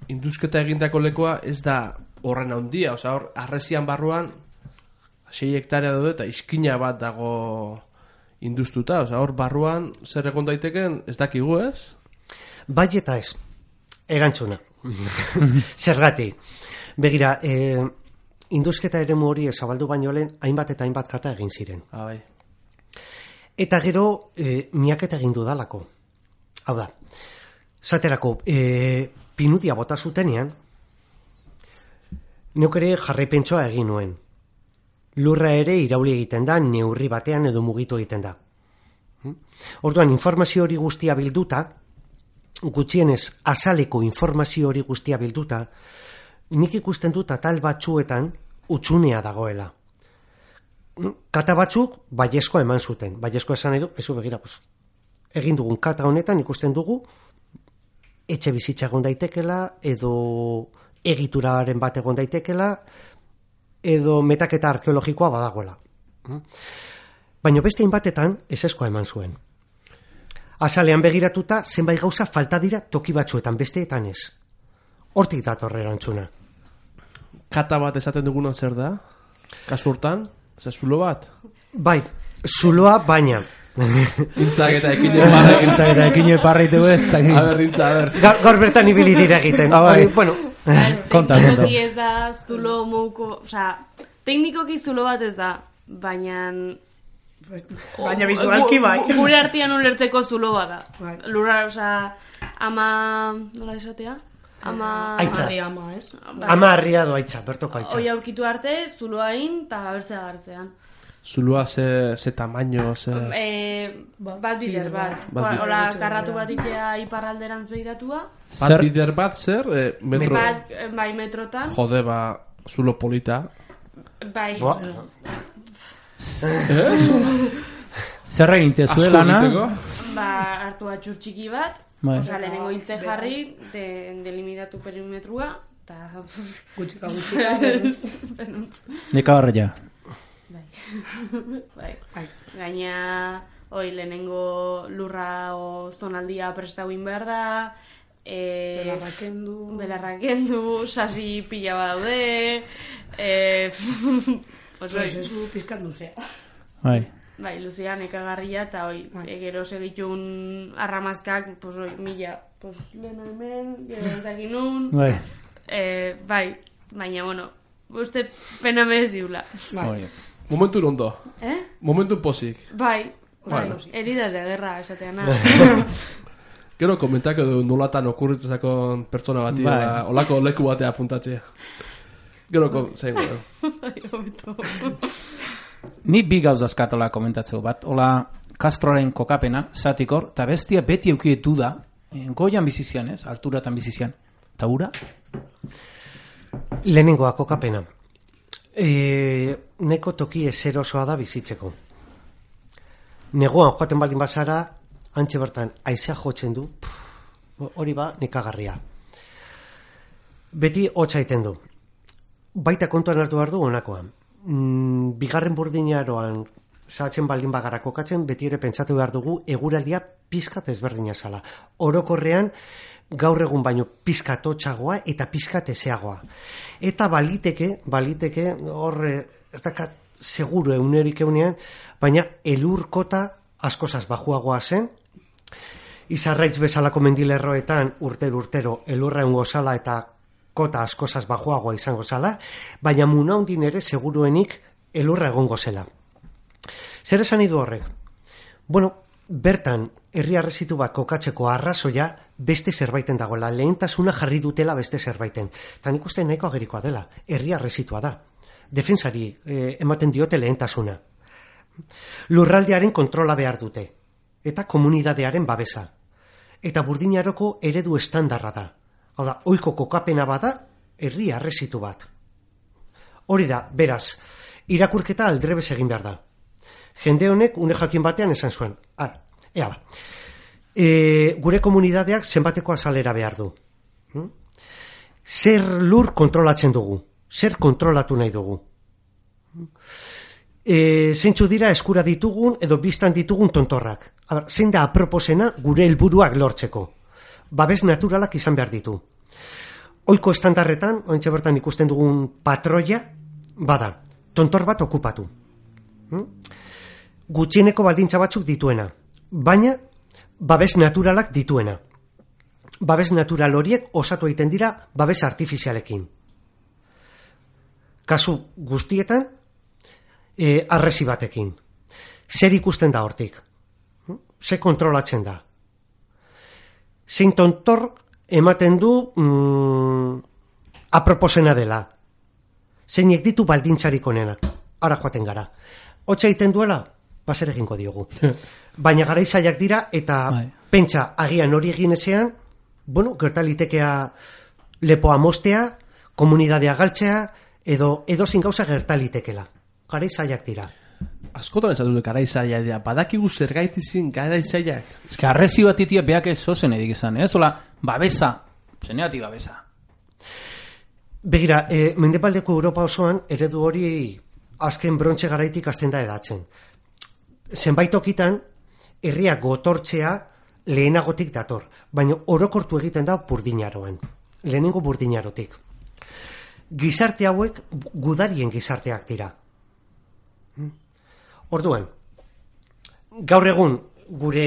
induzketa egindako lekoa ez da horren handia, hor, arresian barruan 6 hektarea daude eta iskina bat dago induztuta, hor barruan zer egon daiteken ez dakigu, ez? Bai eta ez, erantzuna. Zergatik. Begira, induzketa eremu hori zabaldu baino lehen hainbat eta hainbat kata egin ziren. Bai. Eta gero, miaketa egin dudalako. Hau da, zaterako, pinudia bota zutenean, neuk ere jarraipentsoa egin nuen. Lurra ere irauli egiten da, neurri batean edo mugitu egiten da. Orduan, informazio hori guztia bilduta, gutxienez azaleko informazio hori guztia bilduta, nik ikusten dut atal batzuetan utxunea dagoela. Kata batzuk baiezkoa eman zuten. Baiezkoa esan nahi du, ezu begira, egin dugun kata honetan ikusten dugu etxe bizitza egon daitekela, edo egituraren bat egon daitekela, edo metaketa arkeologikoa badagoela. Baina beste inbatetan ezeskoa eman zuen. Azalean begiratuta, zenbait gauza falta dira toki batzuetan, besteetan ez. Hortik dator erantzuna. Kata bat esaten duguna zer da? Kasu hortan? Zulo bat? Bai, zuloa baina. Intzak eta ekine parreitu ez. A ber, Intza, a ber. Gaur bertan ibili dira egiten. Bueno. Konta. Ez da zulo mouko, teknikoki zulo bat ez da, baina visualki bai. Gure artean ulertzeko zulo bat da. Lurra, ama, nola esatea? Aitza. Ez? Ama arriado aitza, bertoko aitza. Hoi aurkitu arte, zuloain eta bertzea gartzean. Zuloa ze tamaino, ze... Bat bider bat. Hola, karratu bat itea iparralderantz behiratua. Bat bider bat zer? Metro... Bai, metrotan. Jode, zulo polita. Bai. Zer egin tezuelana? Hartu atxur txiki bat. Osa, lehenengo hiltze jarri, delimitatu perimetrua, eta... Gutxika. Nika horreia. Bai. Gaina, lehenengo lurra o zonaldia prestauin behar da, belarrakendu, sasi pila badaude, prozesu pizkat luzea. Bai, luzea nekagarria, eta gero segitun arramazkak, mila, leheno hemen, gero entzakin nun, bai, baina, bueno, uste pena merez diula. Momentu ondo. Momentu posik. Bai, eridaz ederra, esatean. Gero komentak edo nolatan okurritzakon pertsona bati, olako leku batea apuntatzea. Gero zein gero. Ni bi gauz dazkatola komentatzeu bat. Ola, Castroren kokapena, zatikor, eta bestia beti eukietu da, goian bizizian, ez? Alturatan bizizian. Eta ura? Lehenengoa kokapena. Neko toki ezerosoa da bizitzeko. Negoan joaten baldin bazara, antxe bertan, aizea jotzen du, hori nekagarria. Beti hotza egiten du. Baita kontuan hartu behar du honakoan. Bigarren burdinaroan zahatzen baldin bagara kokatzen, beti ere pentsatu behar dugu eguraldia pizkat ezberdina zala. Orokorrean, gaur egun baino pizkat hotzagoa eta pizkat ezeagoa. Eta baliteke, horre, ez dakat seguru eunerik eunean, baina elurkota askozaz bajuagoa zen, izarraitz bezalako mendilerroetan urtero elurra eungo zala eta kota askozaz bajuagoa izango zala, baina munaundin ere seguruenik elurra egongo zela. Zer esan idu horrek? Bueno, bertan herri arrezitu bat kokatzeko arrazoia beste zerbaiten dagoela, lehentasuna jarri dutela beste zerbaiten. Eta nik uste nahiko agerikoa dela, herria resitua da. Defensari ematen diote lehentasuna. Lurraldearen kontrola behar dute, eta komunidadearen babesa. Eta Burdinaroko eredu estandarra da. Hau da, ohiko kokapena bada, herria resitu bat. Hori da, beraz, irakurketa aldrebes egin behar da. Jende honek une jakin batean esan zuen. Ea ba. Gure komunidadeak zenbateko azalera behar du. Zer lur kontrolatzen dugu? Zer kontrolatu nahi dugu? Zeintzu dira eskura ditugun edo biztan ditugun tontorrak? Zein da aproposena gure helburuak lortzeko? Babes naturalak izan behar ditu. Ohiko estandarretan, oraintxe bertan ikusten dugun patroia, bada, tontor bat okupatu. Gutxieneko baldintza batzuk dituena, baina babes naturalak dituena. Babes natural horiek osatu egiten dira babes artifizialekin. Kasu guztietan, arresi batekin. Zer ikusten da hortik? Zer kontrolatzen da? Zein tontor ematen du aproposena dela. Zeinek ditu baldintzarik onenak. Ara joaten gara. Hotza egiten duela, baser egingo diogu. Baina garaizaiak dira eta pentsa agian hori egin ezean, gertalitekea lepoa mostea, komunidadea galtzea, edo zin gauza gertalitekela. Garaizaiak dira. Askotan ez dut garaizaiak dira. Badakigu zergaitizin garaizaiak. Ez que arrezi bat itia beak ez zozen edik izan, ez? Ola, babesa. Zeneatik babesa. Begira, Mendebaldeko Europa osoan eredu hori azken brontxe garaitik hasten da edatzen. Zenbait tokitan, herria gotortzea lehenagotik dator, baina orokortu egiten da Burdinaroan. Lehenengo Burdinarotik. Gizarte hauek gudarien gizarteak dira. Orduan, gaur egun gure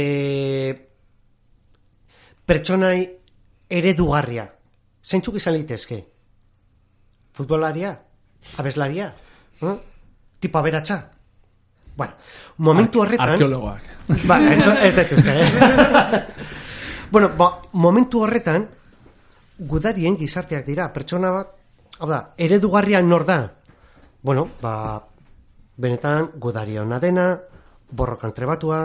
pertsonai eredugarria, zeintzuk izan litezke? Futbolaria? Abeslaria? Tipo aberatsa? Bueno, momentu horretan... Arkeologoak. Ez dut uste, Bueno, momentu horretan, gudarien gizarteak dira, pertsona bat, hau da, eredugarria nor da? Bueno, benetan, gudaria ona dena, borrokan trebatua,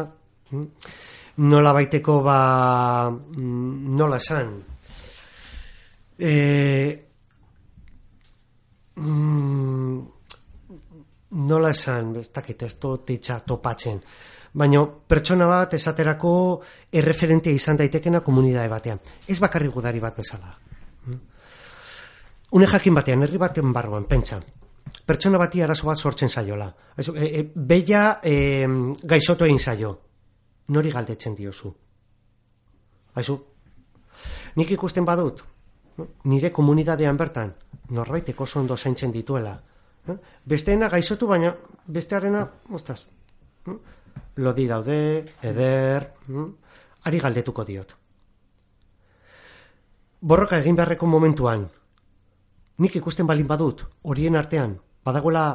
nola baiteko, nola esan, nola esan, ez dakit, ez dutitza topatzen, baina pertsona bat esaterako erreferentea izan daitekena komunidade batean. Ez bakarri gudari bat bezala. Une jakin batean, herri baten barruan, pentsa, pertsona bati arazo bat sortzen zaiola. Beia gaixotu egin zaio. Nori galdetzen diozu? Aizu, nik ikusten badut, nire komunidadean bertan, norbaitek oso ondo zaintzen dituela. Besteena gaixotu, baina bestearena, ostaz, lodi daude, eder, ari galdetuko diot. Borroka egin beharreko momentuan, nik ikusten balin badut, horien artean, badagoela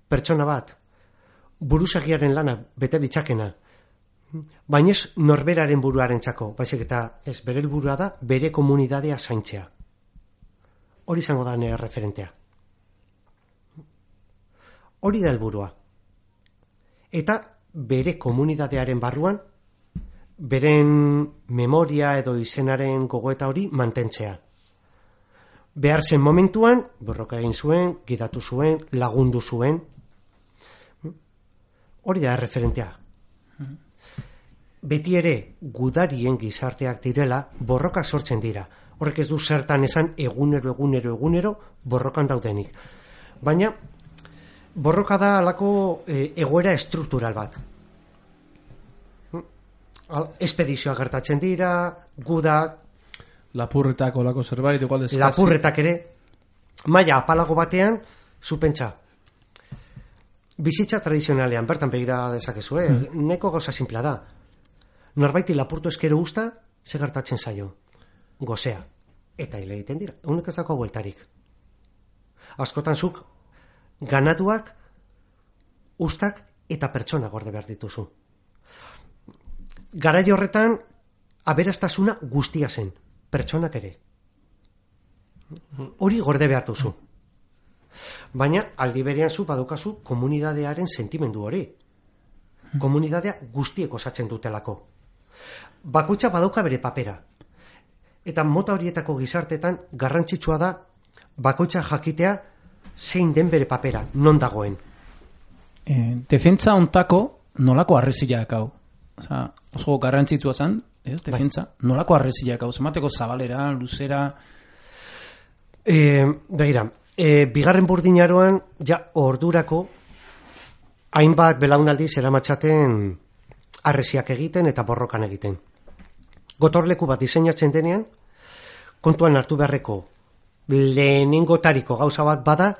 pertsona bat, buruzagiaren lana bete ditzakena, baina ez norberaren buruaren txako, baizik eta ez bere helburua da, bere komunidadea zaintzea. Hori izango da nire referentea. Hori da helburua. Eta bere komunidadearen barruan, beren memoria edo izenaren gogoeta hori mantentzea. Behar zen momentuan, borroka egin zuen, gidatu zuen, lagundu zuen. Hori da referentea. Beti ere, gudarien gizarteak direla, borroka sortzen dira. Horrek ez du zertan esan egunero borrokan daudenik. Baina, borroka da alako egoera estruktural bat. Espedizioa gertatzen dira, gudak, lapurretak olako zerbait, igual eskasi. Lapurretak ere, maila apalago batean, zupentsa. Bizitza tradizionalean, bertan begira dezakezu, neko gauza simpla da. Norbaiti lapurtu eskero usta, ze gertatzen zaio. Gozea. Eta hile egiten dira. Unek ez dako bueltarik. Askotan zuk, ganaduak, ustak eta pertsona gorde behar dituzu. Garai horretan, aberastasuna guztia zen, pertsonak ere. Hori gorde behar duzu. Baina, aldi berean zu badukazu komunidadearen sentimendu hori. Komunidadea guztiek osatzen dutelako. Bakoitza badauka bere papera. Eta mota horietako gizartetan garrantzitsua da bakoitza jakitea zein den bere papera, non dagoen. Defentsa ontako nolako arreziak hau? Oso garrantzitsua zen, defentsa, nolako arreziak hau? Zamateko zabalera, luzera... Begira, bigarren burdinaroan, ja ordurako, hainbat belaunaldiz eramatzaten arreziak egiten eta borrokan egiten. Gotorleku bat diseinatzen denean, kontuan hartu beharreko lehenengotariko gauza bat bada,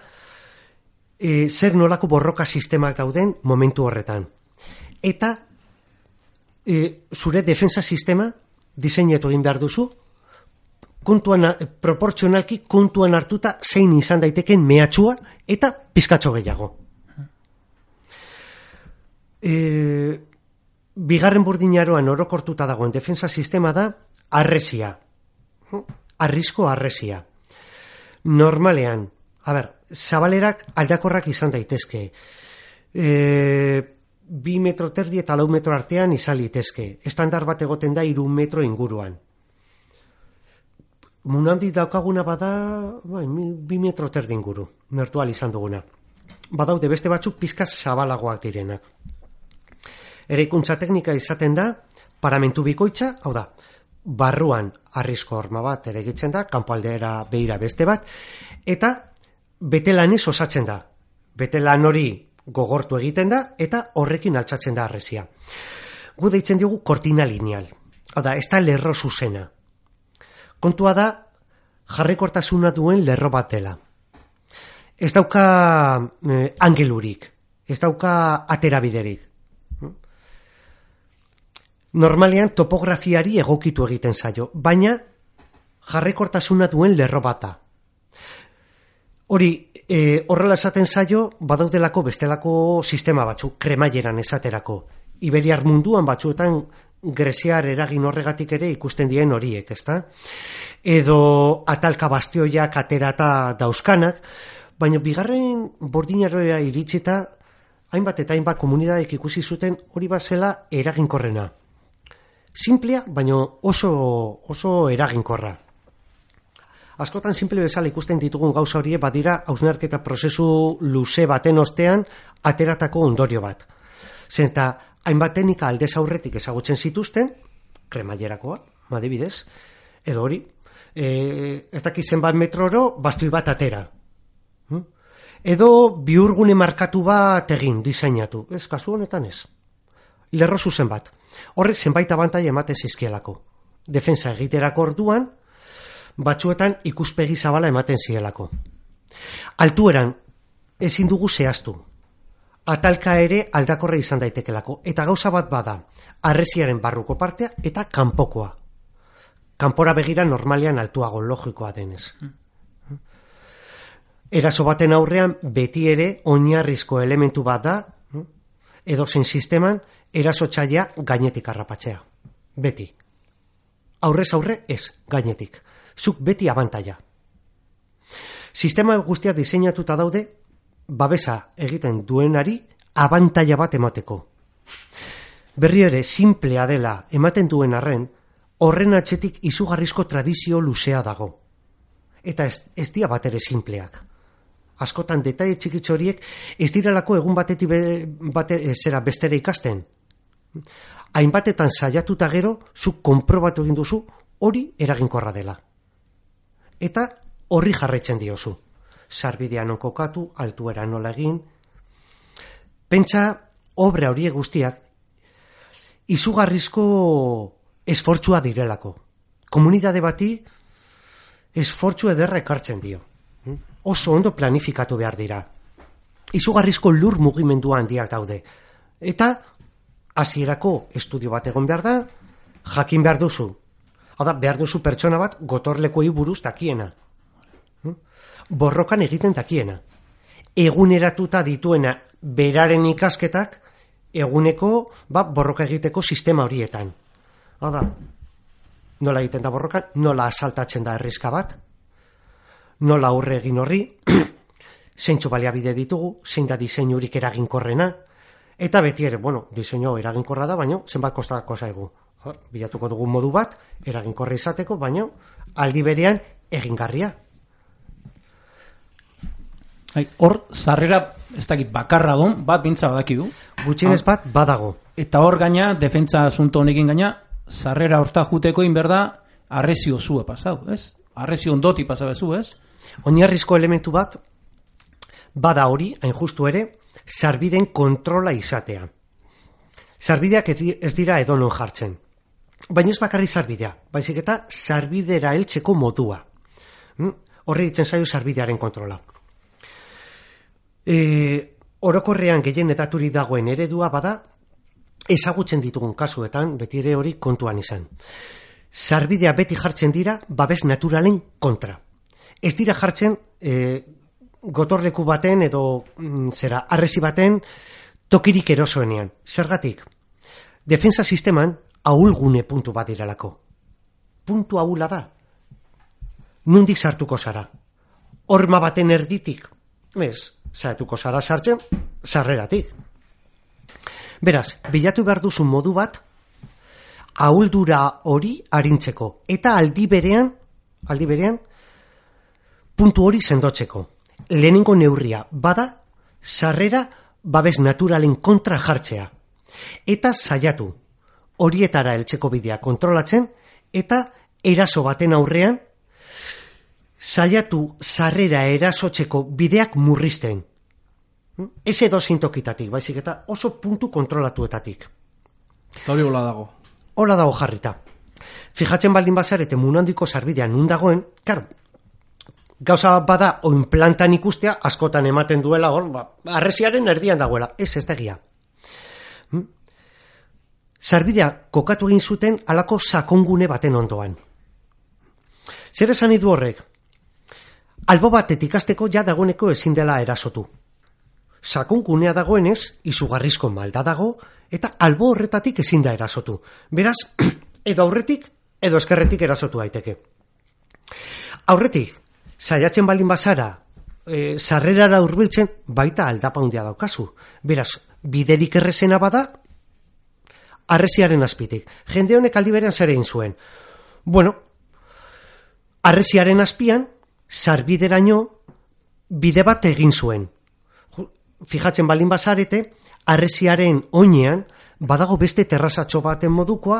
zer nolako borroka sistemak dauden momentu horretan. Eta zure defensa sistema diseinatu egin behar duzu, proportzionalki kontuan hartuta zein izan daiteken mehatxua eta pizkatxo gehiago. Bigarren burdinaroan orokortuta dagoen defensa sistema da arresia. Arrisko arresia. Normalean, zabalerak aldakorrak izan daitezke. 2 metro terdi eta 4 metro artean izan litezke. Estandar bat egoten da 3 metro inguruan. Munandi daukaguna bada 2 metro terdi inguru, mertual izan duguna. Badaude beste batzuk pizkaz zabalagoak direnak. Eraikuntza teknika izaten da, paramentu bikoitza, hau da, barruan arrisko horma bat eregitzen da, kanpoaldera beira beste bat, eta betelanez osatzen da. Betelan hori gogortu egiten da, eta horrekin altxatzen da arrezia. Gu deitzen diogu kortina lineal. Hau da, ez da lerro zuzena. Kontua da, jarrekortasuna duen lerro bat dela. Ez dauka angelurik, ez dauka aterabiderik. Normalean topografiari egokitu egiten zaio, baina jarrekortasuna duen lerro bata. Hori, horrela esaten zaio, badaudelako bestelako sistema batzuk, kremaileran esaterako. Iberiar munduan batzuetan greziar eragin horregatik ere ikusten dien horiek, ezta? Edo atalka bastioiak aterata dauzkanak, baina bigarren bordinaroa iritsita, hainbat eta hainbat komunidadek ikusi zuten hori bazela eraginkorrena. Simplea, baina oso eraginkorra. Askotan simple bezala ikusten ditugun gauza horiek badira hausnarketa prozesu luze baten ostean ateratako ondorio bat. Zenta hainbat teknika aldez aurretik ezagutzen zituzten, kremailerakoa, adibidez, edo hori, ez dakiz zenbat metroro bastoi bat atera. Edo bihurgune markatu bat egin, diseinatu. Ez, kasu honetan ez. Lerro zuzen bat. Horrek zenbait abantaila ematen zizkielako. Defensa egiterako orduan, batzuetan ikuspegi zabala ematen zielako. Altueran ezin dugu zehaztu. Atalka ere aldakorra izan daitekelako. Eta gauza bat bada, arreziaren barruko partea eta kanpokoa. Kanpora begira normalean altuago logikoa denez. Eraso baten aurrean beti ere oinarrizko elementu bat da, edozein sisteman erasotzailea gainetik harrapatzea. Beti. Aurrez aurre ez, gainetik. Zuk beti abantaila. Sistema guztia diseinatuta daude, babesa egiten duenari abantaila bat emateko. Berri ere, simplea dela ematen duen arren, horren atzetik izugarrizko tradizio luzea dago. Eta ez dira bat ere simpleak. Askotan detaile txikitxo horiek ez direlako egun batetik zera bestera ikasten. Hainbatetan saiatuta gero, zuk konprobatu egin duzu, hori eraginkorra dela. Eta horri jarraitzen diozu. Sarbidea non kokatu, altuera nola egin. Pentsa, obra horiek guztiak, izugarrizko esfortzua direlako. Komunitate bati esfortzu ederra ekartzen dio. Oso ondo planifikatu behar dira. Izugarrizko lur mugimendu handiak daude. Eta hasierako estudio bat egon behar da, jakin behar duzu. Hau da, behar duzu pertsona bat gotorlekuei buruz dakiena. Borrokan egiten dakiena. Eguneratuta dituena beraren ikasketak eguneko borroka egiteko sistema horietan. Hau da, nola egiten da borrokan, nola asaltatzen da herrizka bat, nola aurre egin horri, zeintzu baliabide ditugu, zein da diseinurik eraginkorrena, eta beti ere, diseinu eraginkorra da, baina zenbat kostako zaigu. Bilatuko dugu modu bat, eraginkorra izateko, baina aldi berean egingarria. Hor, sarrera, ez dakit, bakarra don, bat bintza badaki du. Gutxienez bat, badago. Eta hor gaina, defentsa asunto honekin gaina, sarrera horta juteko inberda, arrezio zua pasau, ez? Arrezio ondoti pasau ezu, ez? Oinarrizko elementu bat, bada hori, hain justu ere, sarbideen kontrola izatea. Sarbideak ez dira edonon jartzen. Baina ez bakarri sarbidea, baizik eta sarbidera heltzeko modua. Horri ditzen zaio sarbidearen kontrola. Orokorrean gehien edaturi dagoen eredua bada, ezagutzen ditugun kasuetan, beti ere hori kontuan izan. Sarbidea beti jartzen dira babes naturalen kontra. Ez dira jartzen gotorleku baten edo harresi baten tokirik erosoenean. Zergatik? Defensa sisteman ahulgune puntu bat direlako. Puntu ahula da. Nundik sartuko zara? Horma baten erditik? Ez, zaituko zara sartzen, sarreratik. Beraz, bilatu behar duzu modu bat, ahuldura hori arintzeko. Eta aldi berean, puntu hori sendotzeko. Lehenengo neurria, bada, sarrera babes naturalen kontra jartzea. Eta saiatu, horietara heltzeko bidea kontrolatzen, eta eraso baten aurrean, saiatu sarrera erasotzeko bideak murrizten. Ez edo zintokitatik, baizik eta oso puntu kontrolatuetatik. Hori hola dago. Hola dago jarrita. Fijatzen baldin bazarete munandiko sarbidean nun dagoen, karo, gauza bada oin plantan ikustea, askotan ematen duela hor, arresiaren erdian dagoela, ez da egia. Sarbidea kokatu egin zuten halako sakongune baten ondoan. Zer esan du horrek? Albo batetik hasteko ja dagoeneko ezin dela erasotu. Sakongunea dagoenez, izugarrizko malda dago, eta albo horretatik ezin da erasotu. Beraz, edo aurretik, edo eskerretik erasotu daiteke. Aurretik, saiatzen baldin bazara, sarrerara hurbiltzen, baita aldapa handia daukazu. Beraz, biderik errezena bada, harresiaren azpitik. Jende honek aldi berean zer egin zuen. Harresiaren azpian, sarbideraino bide bat egin zuen. Fijatzen baldin bazarete, harresiaren oinean badago beste terrazatxo baten modukoa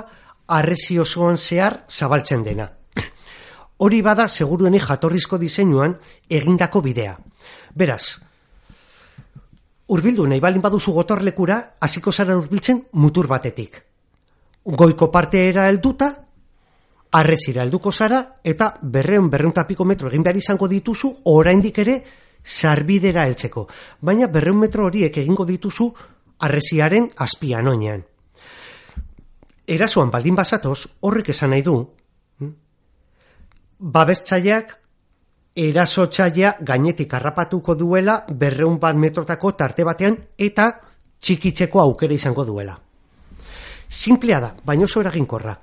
harresi osoan zehar zabaltzen dena. Hori bada segurueni jatorrizko diseinuan egindako bidea. Beraz, hurbildu nahi baldin baduzu gotorlekura, hasiko zara hurbiltzen mutur batetik. Goiko parteera helduta, harresira helduko zara, eta 200 piko metro egin behar izango dituzu, oraindik ere sarbidera heltzeko. Baina 200 metro horiek egingo dituzu harresiaren azpian oinean. Erasoan baldin bazatoz, horrek esan nahi du, babestzaileak erasotzailea gainetik harrapatuko duela 200 metrotako tarte batean eta txikitzeko aukera izango duela. Simplea da, baina oso eraginkorra.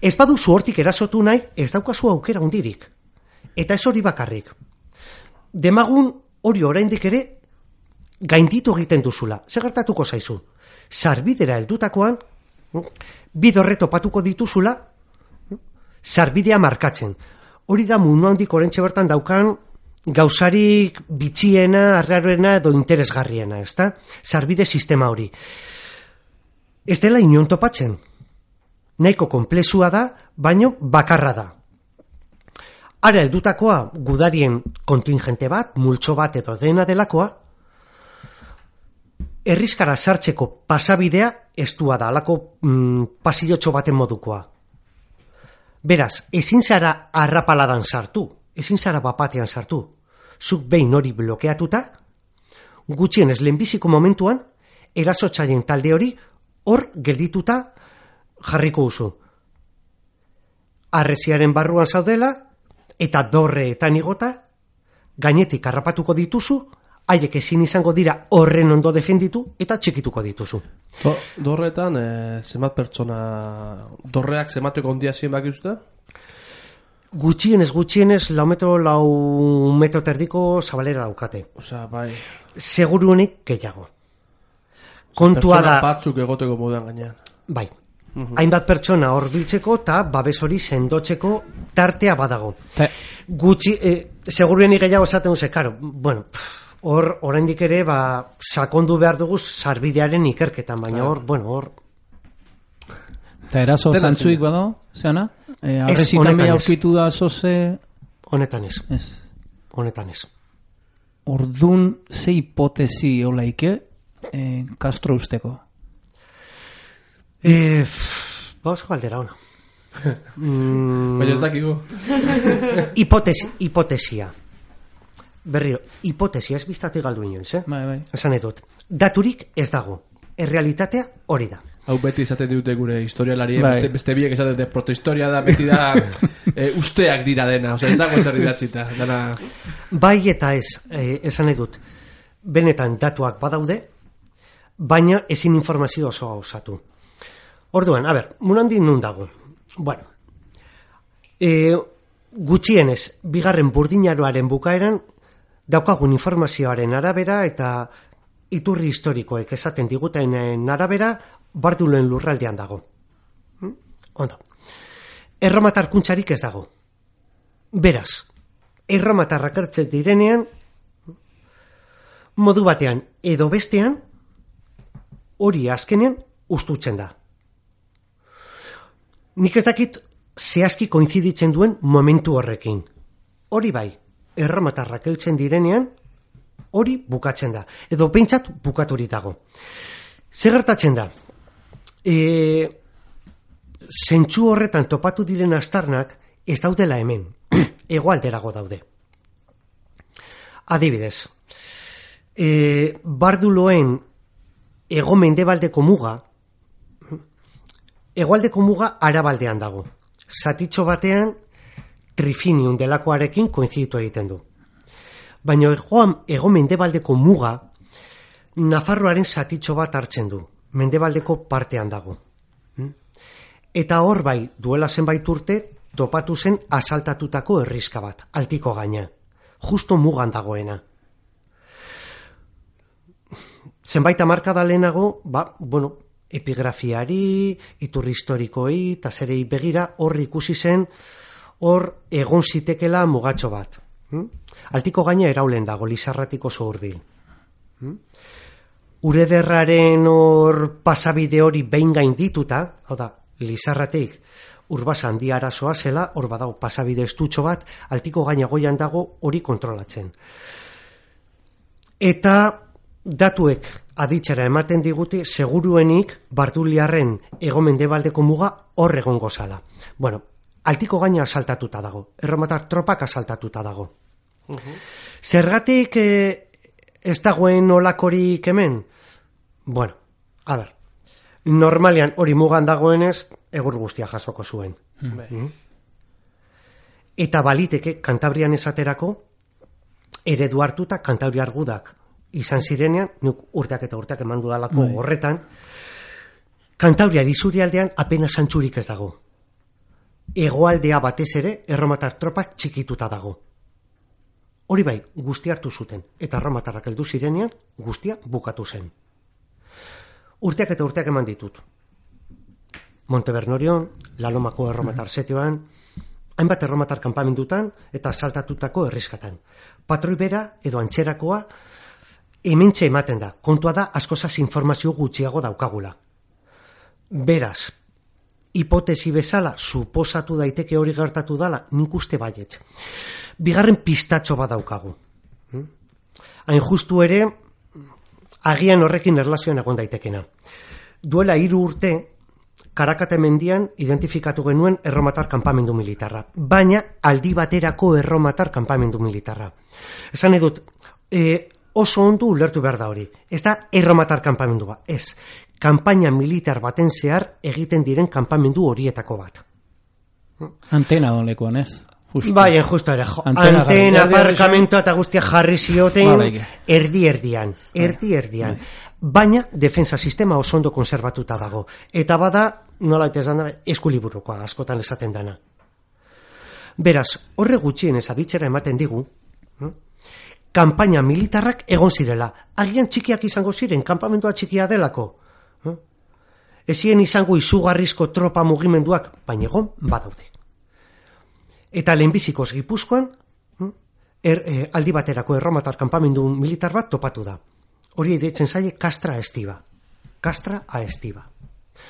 Ez baduzu hortik erasotu nahi, ez daukazu aukera hundirik. Eta ez hori bakarrik. Demagun hori oraindik ere gainditu egiten duzula. Zer gertatuko zaizu? Sarbidera heldutakoan bidorre topatuko dituzula sarbidea markatzen. Hori da mundu handik orentxe bertan daukan gauzarik bitxiena, arraroena edo interesgarriena, ezta? Sarbide sistema hori. Ez dela inon topatzen. Nahiko konplexua da, baino bakarra da. Ara heldutakoa gudarien kontingente bat, multxo bat edo dena delakoa, herrizkara sartzeko pasabidea estua da, alako pasillotxo baten modukoa. Beraz, ezin zara arrapaladan sartu, ezin zara bapatean sartu. Zuk behin hori blokeatuta, gutxienez lehenbiziko momentuan, erasotzaileen talde hori hor geldituta jarriko duzu. Harresiaren barruan zaudela, eta dorreetan igota, gainetik harrapatuko dituzu, haiek ezin izango dira horren ondo defenditu eta txikituko dituzu. Dorretan, zenbat pertsona, dorreak zemateko ondia zien baki uste? Gutxienez, 4 metro terdiko zabalera daukate. Osea, bai. Seguruenik gehiago. Kontua Pertsona da... batzuk egoteko moduan gainean. Bai. Hainbat pertsona hor biltzeko eta babes hori sendotzeko tartea badago. Gutxi, seguruenik gehiago esaten duze, karo, bueno, hor, oraindik ere, sakondu behar dugu sarbidearen ikerketan, baina hor, hor... Eta eraso zantzuik bado, zeana? Arrezitamia aurkitu da zoze... Honetan ez. Honetan ez. Ordun ze hipotesi olaike Castro usteko? Bauzko aldera ona. Baina ez dakigu. Hipotesia. Berriro, hipotesia ez biztatik galdu inoiz, Bai. Esan edut. Daturik ez dago. Errealitatea hori da. Hau beti izaten dute gure historialari, beste biek esaten dute protohistoria da, beti da usteak dira dena, ez dago ezer idatzita. Bai eta ez, esan edut. Benetan datuak badaude, baina ezin informazio osoa osatu. Orduan, munandi nun dago. Bueno, gutxienez, bigarren burdinaroaren bukaeran, daukagun informazioaren arabera eta iturri historikoek esaten digutenen arabera, Barduloen lurraldean dago. Ondo. Erromatar kuntzarik ez dago. Beraz, erromatarrak hartzen direnean, modu batean edo bestean, hori azkenean ustutzen da. Nik ez dakit zehazki koinziditzen duen momentu horrekin. Hori bai, erromatarrak heltzen direnean, hori bukatzen da. Edo behintzat bukaturik dago. Zer gertatzen da? Zentsu horretan topatu diren astarnak ez daudela hemen. Hegoalderago daude. Adibidez, Barduloen hego-mendebaldeko muga, hegoaldeko muga arabaldean dago. Zatitxo batean Trifinium delakoarekin koinziditu egiten du. Baina hego-mendebaldeko muga Nafarroaren zatitxo bat hartzen du. Mendebaldeko partean dago. Eta hor bai, duela zenbait urte, topatu zen asaltatutako herriska bat, altiko gaina. Justo mugan dagoena. Zenbait hamarkada lehenago, epigrafiari, iturri historikoei, eta zerei begira, hor ikusi zen, hor egon zitekela mugatxo bat. Altiko gaina eraulen dago, Lizarratiko oso hurbil. Urederraren hor pasabide hori behin gaindituta, hau da, Lizarratik Urbasa handia arazoa zela, hor badago pasabide estutxo bat, altiko gaina goian dago hori kontrolatzen. Eta datuek aditzera ematen digute, seguruenik Barduliarren hego-mendebaldeko muga hor egongo zala. Bueno, altiko gaina asaltatuta dago, erromatar tropak asaltatuta dago. Zergatik ez dagoen olakorik hemen? Bueno, normalean hori mugan dagoenez, egur guztia jasoko zuen. Eta baliteke, Kantabrian esaterako, eredu hartuta Kantabriar gudak izan zirenean, nuk urteak eta urteak eman dudalako horretan, Kantabriar isurialdean apenas antzurik ez dago. Hegoaldea batez ere, erromatar tropak txikituta dago. Hori bai, guztia hartu zuten, eta erromatarrak heldu zirenean, guztia bukatu zen. Urteak eta urteak eman ditut. Montebernorion, Lalomako erromatar setioan, hainbat erromatar kanpamendutan eta saltatutako herriskatan. Patroi bera edo antzerakoa hementxe ematen da. Kontua da askozaz informazio gutxiago daukagula. Beraz, hipotesi bezala suposatu daiteke hori gertatu dala, nik uste baietz. Bigarren pistatxo bat daukagu. Hain justu ere, agian horrekin erlazioan egon daitekena. Duela 3 urte, Karakate mendian identifikatu genuen erromatar kanpamendu militarra. Baina aldi baterako erromatar kanpamendu militarra. Esan edut, oso ondo ulertu behar da hori. Ez da erromatar kanpamendua. Ez, kanpaina militar baten zehar egiten diren kanpamendu horietako bat. Antena dolekuan, ez? Bai, justo ere, Antena antena, jarri. aparkamentua eta guztia jarri zioten Bai. erdi-erdian. Baina, defensa sistema oso ondo konservatuta dago. Eta bada, nola esan da, eskuliburukoa askotan esaten dana. Beraz, horre gutxien aditzera ematen digu, kanpaina militarrak egon zirela. Agian txikiak izango ziren, kanpamentua txikia delako. Ezien izango izugarrizko tropa mugimenduak, baina egon badaude. Eta lehenbizikoz Gipuzkoan, aldi baterako erromatar kanpamendu militar bat topatu da. Hori deitzen zaie Castra Aestiva. Castra Aestiva.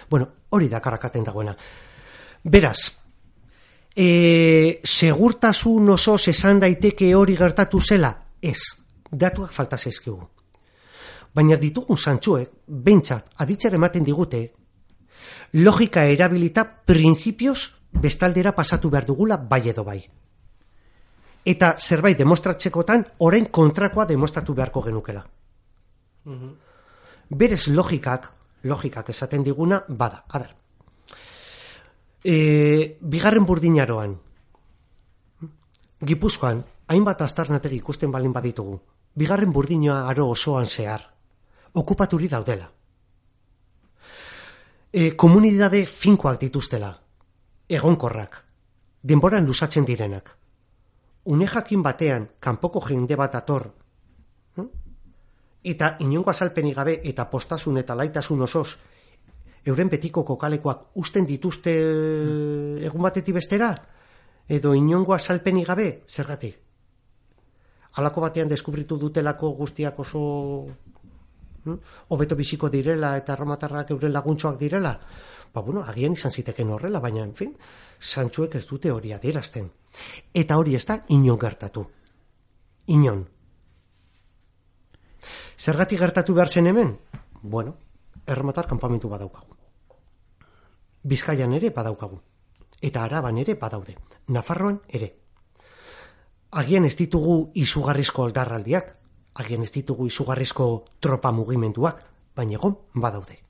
Bueno, hori da karakaten dagoena. Beraz, segurtasun osoz esan daiteke hori gertatu zela? Ez, datuak falta zaizkigu. Baina ditugun zantzuek, behintzat, aditzera ematen digute, logika erabilita printzipioz bestaldera pasatu behar dugula bai edo bai. Eta zerbait demostratzekotan, orain kontrakoa demostratu beharko genukela. Berez logikak esaten diguna, bada. A ber, bigarren burdinaroan, Gipuzkoan, hainbat aztarnategi ikusten balin baditugu, bigarren burdinoa aro osoan zehar, okupaturi daudela. Komunidade finkoak dituztela, egonkorrak, denboran luzatzen direnak. Une jakin batean, kanpoko jende bat ator, eta inongo azalpenik gabe eta postasun eta laitasun osoz, euren betiko kokalekoak usten dituzte egun batetik bestera, edo inongo azalpenik gabe, zergatik? Halako batean deskubritu dutelako guztiak oso hobeto biziko direla eta erromatarrak euren laguntxoak direla, bueno, agian izan ziteken horrela, baina, en fin, zantzuek ez dute hori adierazten. Eta hori ez da inon gertatu. Inon. Zergatik gertatu behar zen hemen? Bueno, erromatar kanpamentu badaukagu. Bizkaian ere badaukagu. Eta Araban ere badaude. Nafarroan ere. Agian ez ditugu izugarrizko oldarraldiak, agian ez ditugu izugarrizko tropa mugimenduak, baina egon badaude.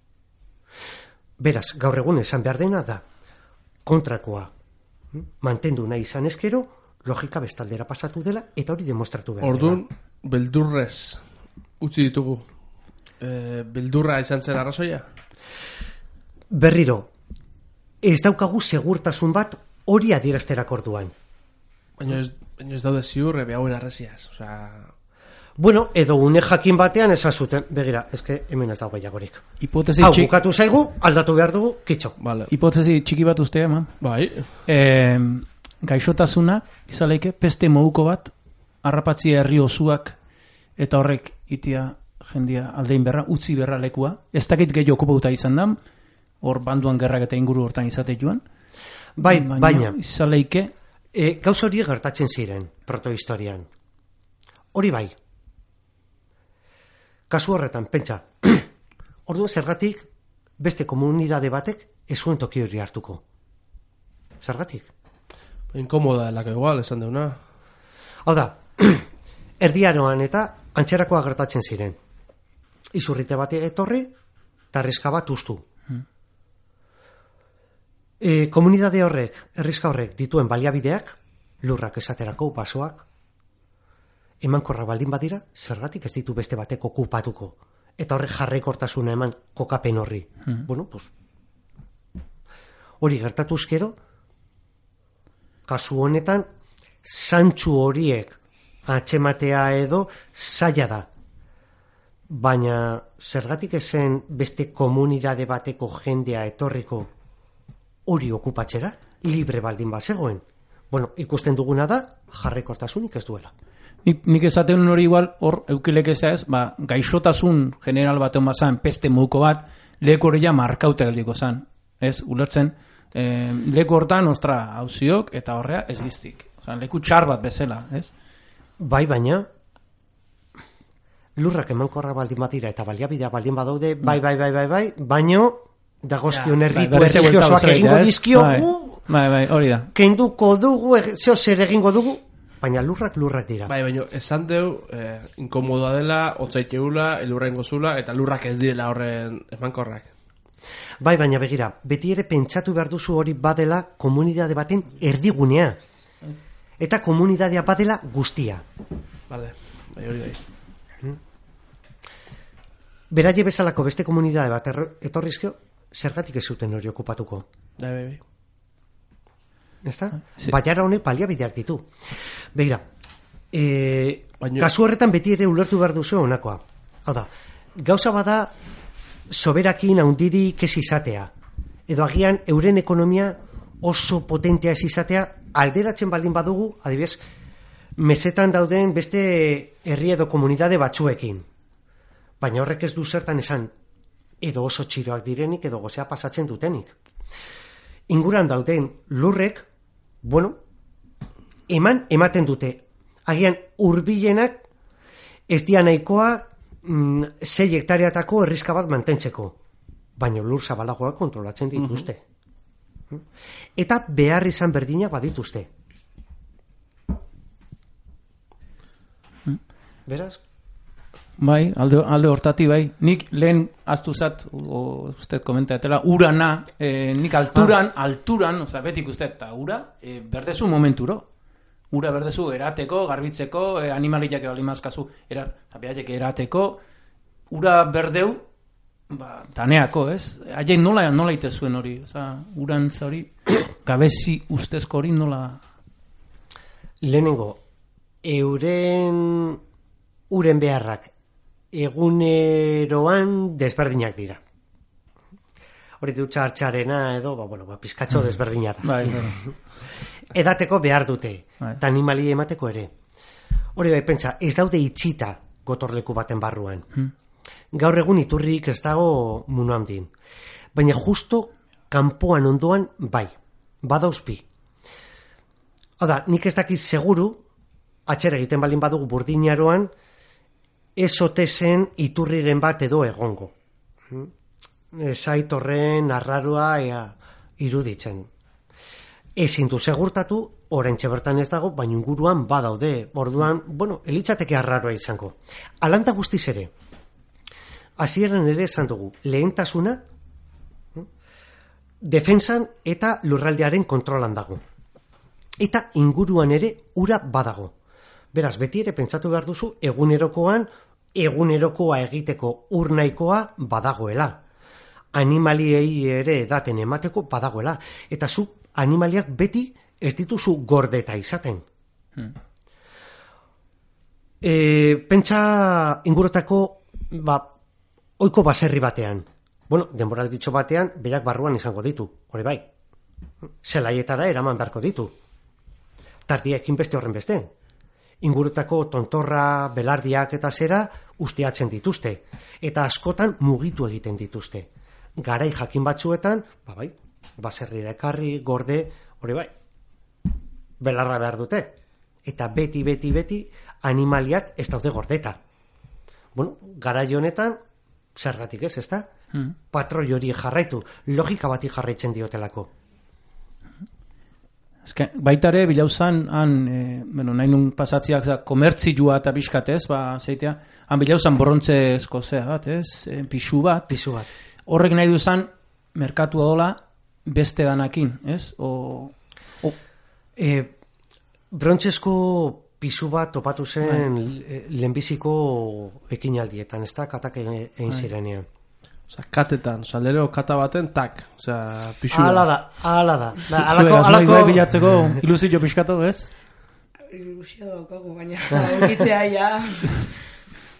Beraz, gaur egun esan behar dena da, kontrakoa mantendu nahi izan ezkero, logika bestaldera pasatu dela, eta hori demostratu behar dela. Orduan, beldurrez utzi ditugu. Beldurra izan zen arrazoia? Berriro, ez daukagu segurtasun bat hori adierazterak orduan. Baina ez daude ziur, hauen arreziaz. Bueno, edo une jakin batean esan zuten, begira, eske hemen ez dago gehiagorik. Hau, bukatu zaigu, aldatu behar dugu, kitxo. Vale. Hipotesi txiki bat uste, eman. Bai. Gaixotasuna, izaleike, peste moduko bat, harrapatzia herri osuak, eta horrek itia jendia aldein berra, utzi berra lekua. Ez dakit gehi okupauta izan da, hor banduan gerrak eta inguru hortan izate joan. Bai, baina. Izaleike. Gauza hori gertatzen ziren, protohistorian. Hori bai. Kasu horretan, pentsa, orduan zergatik beste komunidade batek ez zuen toki hori hartuko. Zergatik? Inkomoda delako igual, esan deuna. Hau da, erdiaroan eta antxerakoa gertatzen ziren. Izurrite bat etorri, eta erriska bat ustu. Komunidade horrek, erriska horrek dituen baliabideak, lurrak esaterako, basoak, emankorra baldin badira, zergatik ez ditu beste batek okupatuko. Eta horrek jarraikortasuna eman kokapen horri. Bueno, pues, hori gertatuzkero, kasu honetan, zantzu horiek atxematea edo zaila da. Baina zergatik ezen beste komunidade bateko jendea etorriko hori okupatzera, libre baldin bazegoen. Bueno, ikusten duguna da, jarraikortasunik ez duela. Nik esaten hori igual, hor eukilek ez, gaixotasun general bat emazan, peste moduko bat, leku hori ja markaute geldiko zan. Ez, ulertzen, leku hortan, ostra, hauziok, eta horrea ez giztik. Leku txar bat bezala, ez? Bai, baina, lurrak emankorra baldin badira eta baliabidea baldin badaude, bai, baino, dagozkion herritu erregiosoak egingo dizkio, bai, hori da. Kenduko dugu, zeo zer egingo dugu, baina lurrak dira. Bai, baina esan deu, inkomodoa dela, otzaiteula, elurra ingozula, eta lurrak ez direla horren emankorrak. Bai, baina begira, beti ere pentsatu behar duzu hori badela komunidade baten erdigunea. eta komunidadea badela guztia. Vale, bai. Beraie bezalako beste komunidade bat etorrizkio, zergatik ez zuten hori okupatuko. Bai. Ezta? Sí. Baiara honek baliabideak ditu. Begira, kasu horretan beti ere ulertu behar duzu honakoa. Hau da, gauza bada soberakin handirik ez izatea, edo agian euren ekonomia oso potentea ez izatea, alderatzen baldin badugu, adibidez, mesetan dauden beste herri edo komunidade batzuekin. Baina horrek ez du zertan esan, edo oso txiroak direnik, edo gozea pasatzen dutenik. Inguran dauden lurrek, ematen dute. Agian hurbilenak ez dia nahikoa 6 hektareatako herrizka bat mantentzeko. Baina lur zabalagoak kontrolatzen dituzte. Eta behar izan berdinak badituzte. Beraz? Bai, alde hortati bai. Nik lehen aztuzat, usted komentatela, urana, nik alturan, oza, betik usted, eta ura, berdezu momenturo. Ura berdezu erateko, garbitzeko, animaliak ebalimazkazu, erateko, ura berdeu, taneako, ez? Haien nola itezuen hori, oza, uran hori, gabezi ustezko hori nola... Lehenengo, uren beharrak eguneroan desberdinak dira. Hori dutxa hartxarena edo, pizkatxo desberdina da. Edateko behar dute, eta animali emateko ere. Hori bai, pentsa, ez daude itxita gotorleku baten barruan. Gaur egun iturrik ez dago mundu handin. Baina justo kanpoan ondoan bai, badauzpi. Hau da, nik ez dakit seguru, atxera egiten balin badugu burdinaroan, ez ote zen iturriren bat edo egongo. Zait horren arraroa iruditzen. Ezin du segurtatu, oraintxe bertan ez dago, baina inguruan badaude. Orduan, elitzateke arraroa izango. Alanta guztiz ere, hasieran ere esan dugu, lehentasuna, defensan eta lurraldearen kontrolan dago. Eta inguruan ere ura badago. Beraz, beti ere pentsatu behar duzu, egunerokoa egiteko ur nahikoa badagoela. Animaliei ere edaten emateko badagoela. Eta zu animaliak beti ez dituzu gordeta izaten. Pentsa ingurotako oiko baserri batean. Denborak ditxo batean, berak barruan izango ditu. Hori bai. Zelaietara eraman beharko ditu. Tardiekin beste horren beste. Ingurutako tontorra, belardiak eta zera ustiatzen dituzte. Eta askotan mugitu egiten dituzte. Garai jakin batzuetan, baserrira ekarri, gorde, hori bai, belarra behar dute. Eta beti animaliak ez daude gordeta. Garai honetan, zergatik ez, ezta? Patroi hori jarraitu, logika bati jarraitzen diotelako. Baitare, bilauzan, nahi nun pasatziak komertzioa eta biskatez, zeitea, han bilauzan borrontzezko bat, pixu bat. Horrek nahi duzan, merkatua dola, beste danakin, ez? Brontzezko pisu bat topatu zen lehenbiziko ekinaldietan, ez da, katak egin zirenean. Osa, katetan, lero kata baten, tak, pixua. Ala da. Alako bilatzeko ilusio pixkatu, ez? Ilusio daukagu, baina egitzea ja.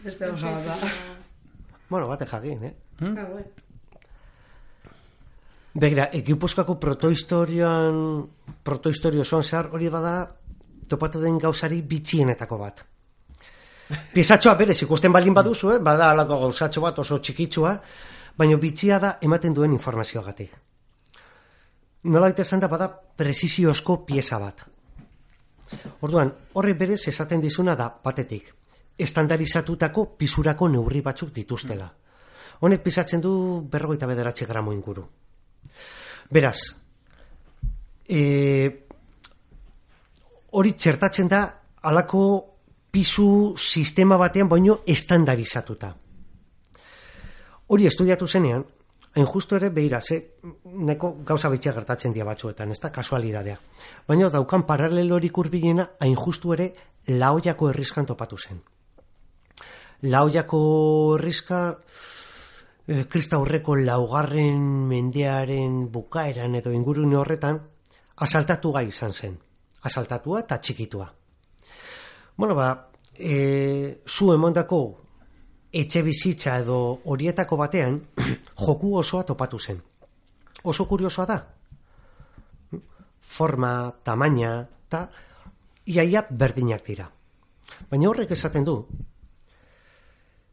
Espero zala. Bate jakin, Begira, Gipuzkoako protohistorio zoan zehar hori bada topatu den gauzari bitxienetako bat. Piezatxoa berez ikusten balin baduzu, bada alako gauzatxo bat oso txikitsua, baina bitxia da ematen duen informazioagatik. Nola esan da bada presiziozko pieza bat. Orduan, horre berez esaten dizuna da batetik, estandarizatutako pisurako neurri batzuk dituztela. Honek pisatzen du 49 gramo inguru. Beraz, hori txertatzen da alako pisu sistema batean baino estandarizatuta. Hori estudiatu zenean, hain justu ere, behira, neko gauza bitxia gertatzen dia batzuetan, ez da kasualidadea. Baina daukan paralelorik hurbilena hain justu ere Laoiako herriskan topatu zen. Laoiako herriska Kristaurreko 4. mendearen bukaeran edo ingurune horretan asaltatu gai izan zen. Asaltatua eta txikitua. Bueno, zu emondako etxe bizitza edo horietako batean joku osoa topatu zen. Oso kuriosoa da. Forma, tamaina, eta iaia berdinak dira. Baina horrek esaten du,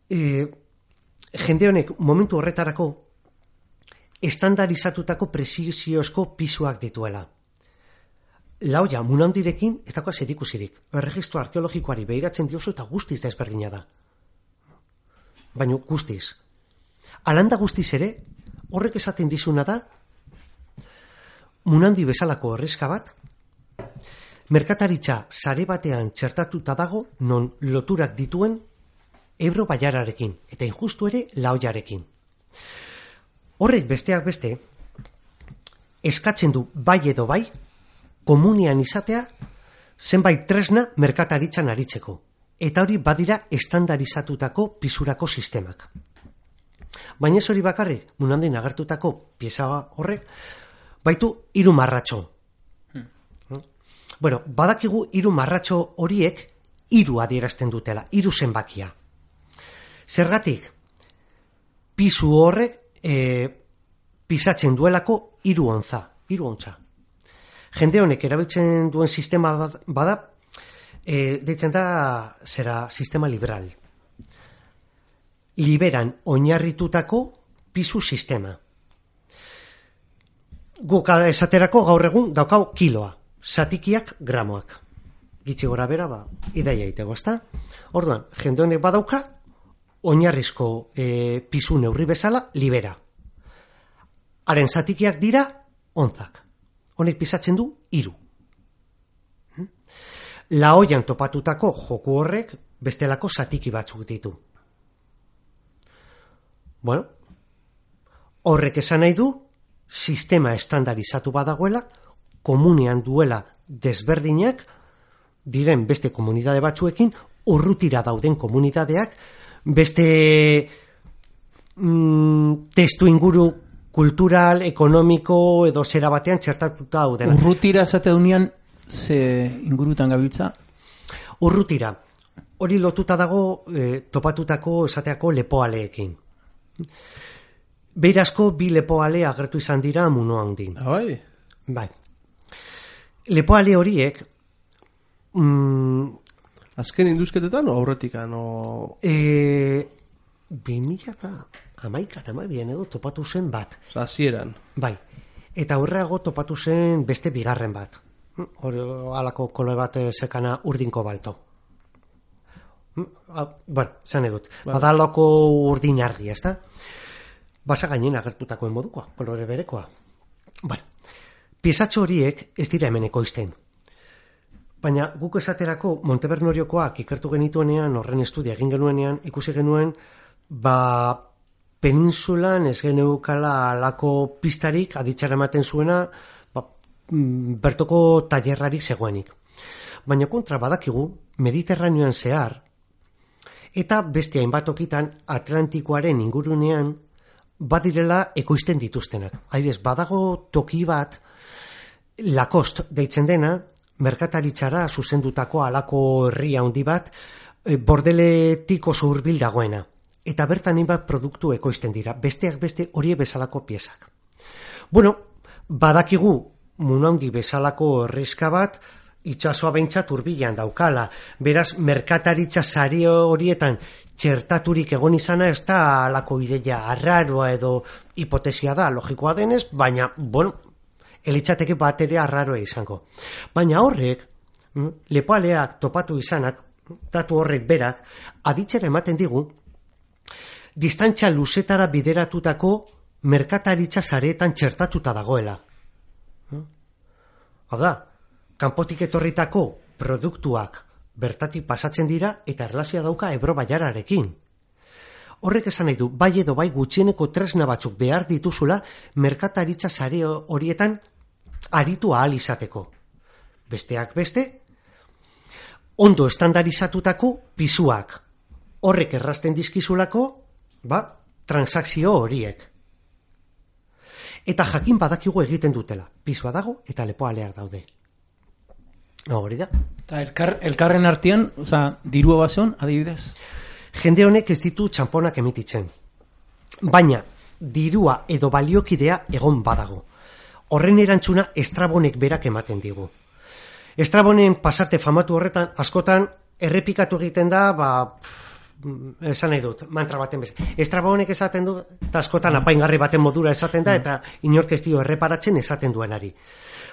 jende honek momentu horretarako estandarizatutako preziziozko pisuak dituela. Laoia Munandirekin ez dakoa zerikusirik. Erregistro arkeologikoari behiratzen diozu eta guztiz da ezberdina da. Baina guztiz. Alanda guztiz ere, horrek esaten dizuna da, Munandi bezalako herriska bat, merkataritza sare batean txertatuta dago non loturak dituen Ebro Baiararekin, eta injustu ere Laoiarekin. Horrek besteak beste, eskatzen du bai edo bai, komunian izatea zenbait tresna merkataritzan aritzeko. Eta hori badira estandarizatutako pisurako sistemak. Baina ez hori bakarrik, Munandin agertutako pieza horrek, baitu 3 marratxo. Bueno, badakigu 3 marratxo horiek 3 adierazten dutela, 3 zenbakia. Zergatik, pisu horrek pisatzen duelako 3 ontza, 3 ontza. Jende honek erabiltzen duen sistema bada, deitzen da sistema liberal. Liberan oinarritutako pisu sistema. Guk esaterako gaur egun daukau kiloa, zatikiak gramoak. Gitzi gora bera, idaia itego, ezta? Orduan, jende honek badauka, oinarrizko pisu neurri bezala libera. Haren zatikiak dira onzak. Honek pisatzen du 3. Laoian topatutako joku horrek bestelako zatiki batzuk ditu. Bueno, horrek esan nahi du sistema estandarizatu badagoela, komunean duela desberdinak diren beste komunidade batzuekin, urrutira dauden komunidadeak, beste testu inguru kultural, ekonomiko edo zera batean txertatuta daudena. Urrutira esate dunean ze ingurutan gabiltza? Urrutira. Hori lotuta dago topatutako esateako lepoaleekin. Beirazko 2 lepoale agertu izan dira Muno handin. Bai. Bai. Lepoale horiek azken induzketetan o aurretikan o 2011 edo topatu zen bat. Hasieran. Bai. Eta horreago topatu zen beste 2. bat. Halako kolo bat sekana urdinko balto. Bueno, zan edut. Badalako urdin argi, ez da? Basa gainen agertutakoen modukoa, kolore berekoa. Bueno, piezatxo horiek ez dira hemen ekoizten. Baina guk esaterako Montebernoriokoak ikertu genituenean, horren estudia egin genuenean, ikusi genuen, peninsulan ez geneukala alako pistarik aditzara ematen zuena, bertoko tailerrarik zegoenik. Baina kontra badakigu, Mediterraneoan zehar, eta beste hainbat tokitan Atlantikoaren ingurunean badirela ekoizten dituztenak. Adibidez, badago toki bat, Lacoste deitzen dena, merkataritzara zuzendutako halako herria handi bat, Bordeletik oso hurbil dagoena. Eta bertan hainbat produktu ekoizten dira, besteak beste horiek bezalako piezak. Bueno, badakigu Muno handi bezalako herriska bat, itsasoa behintzat hurbilan daukala. Beraz, merkataritza sari horietan txertaturik egon izana ez da halako ideia arraroa edo hipotesia da, logikoa denez, baina, bueno, elitzateke bat ere arraroa izango. Baina horrek, lepoaleak topatu izanak, datu horrek berak, aditzera ematen digu, distantzia luzetara bideratutako merkataritza sareetan txertatuta dagoela. Hau da, kanpotik etorritako produktuak bertatik pasatzen dira eta erlazioa dauka Ebro Baiararekin. Horrek esan nahi du, bai edo bai gutxieneko tresna batzuk behar dituzula merkataritza sare horietan aritu ahal izateko. Besteak beste, ondo estandarizatutako pisuak. Horrek errazten dizkizulako, transakzio horiek. Eta jakin badakigu egiten dutela. Pisua dago eta lepoaleak daude. Hori da. Eta elkarren artean, dirua bazen, adibidez? Jende honek ez ditu txamponak emititzen. Baina, dirua edo baliokidea egon badago. Horren erantzuna Estrabonek berak ematen digu. Estrabonen pasarte famatu horretan, askotan, errepikatu egiten da, esan nahi dut, mantra baten bez. Estrabonek esaten du, eta askotan apaingarri baten modura esaten da, eta inork ez dio erreparatzen esaten duenari.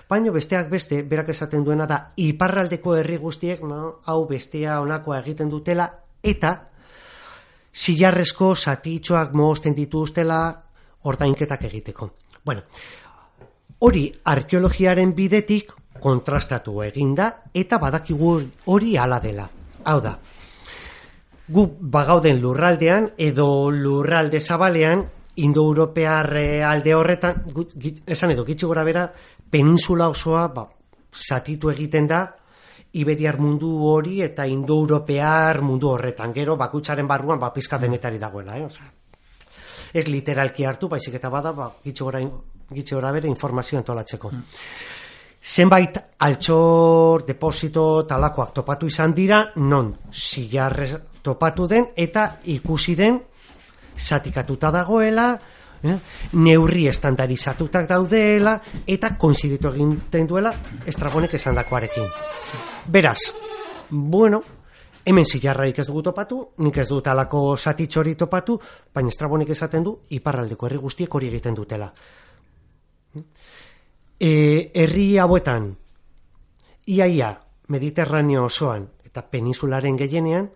Baina besteak beste, berak esaten duena da, iparraldeko herri guztiek, hau bestea onakoa egiten dutela, eta zilarrezko zatitxoak mohozten dituztela ordainketak egiteko. Bueno, hori arkeologiaren bidetik kontrastatu eginda, eta badakigu hori hala dela. Hau da, gu bagauden lurraldean edo lurralde zabalean indo-europear alde horretan, esan edo gitxi gora bera, peninsula osoa zatitu egiten da iberiar mundu hori eta indo-europear mundu horretan. Gero bakutsaren barruan pizka denetari dagoela. Ez literalki hartu, baizik eta bada gitxi gora bera informazio antolatzeko. Zenbait altxor, deposito, talakoak topatu izan dira, non zilarrez topatu den eta ikusi den zatikatuta dagoela, neurri estandarizatutak daudela eta konziditu egiten duela Estrabonek esandakoarekin. Beraz, hemen zilarrarik ez dugu topatu, nik ez dut alako zatitxori topatu, baina Estrabonek esaten du iparraldeko herri guztiek hori egiten dutela. Herri hauetan, iaia Mediterraneo osoan eta peninsularen gehienean,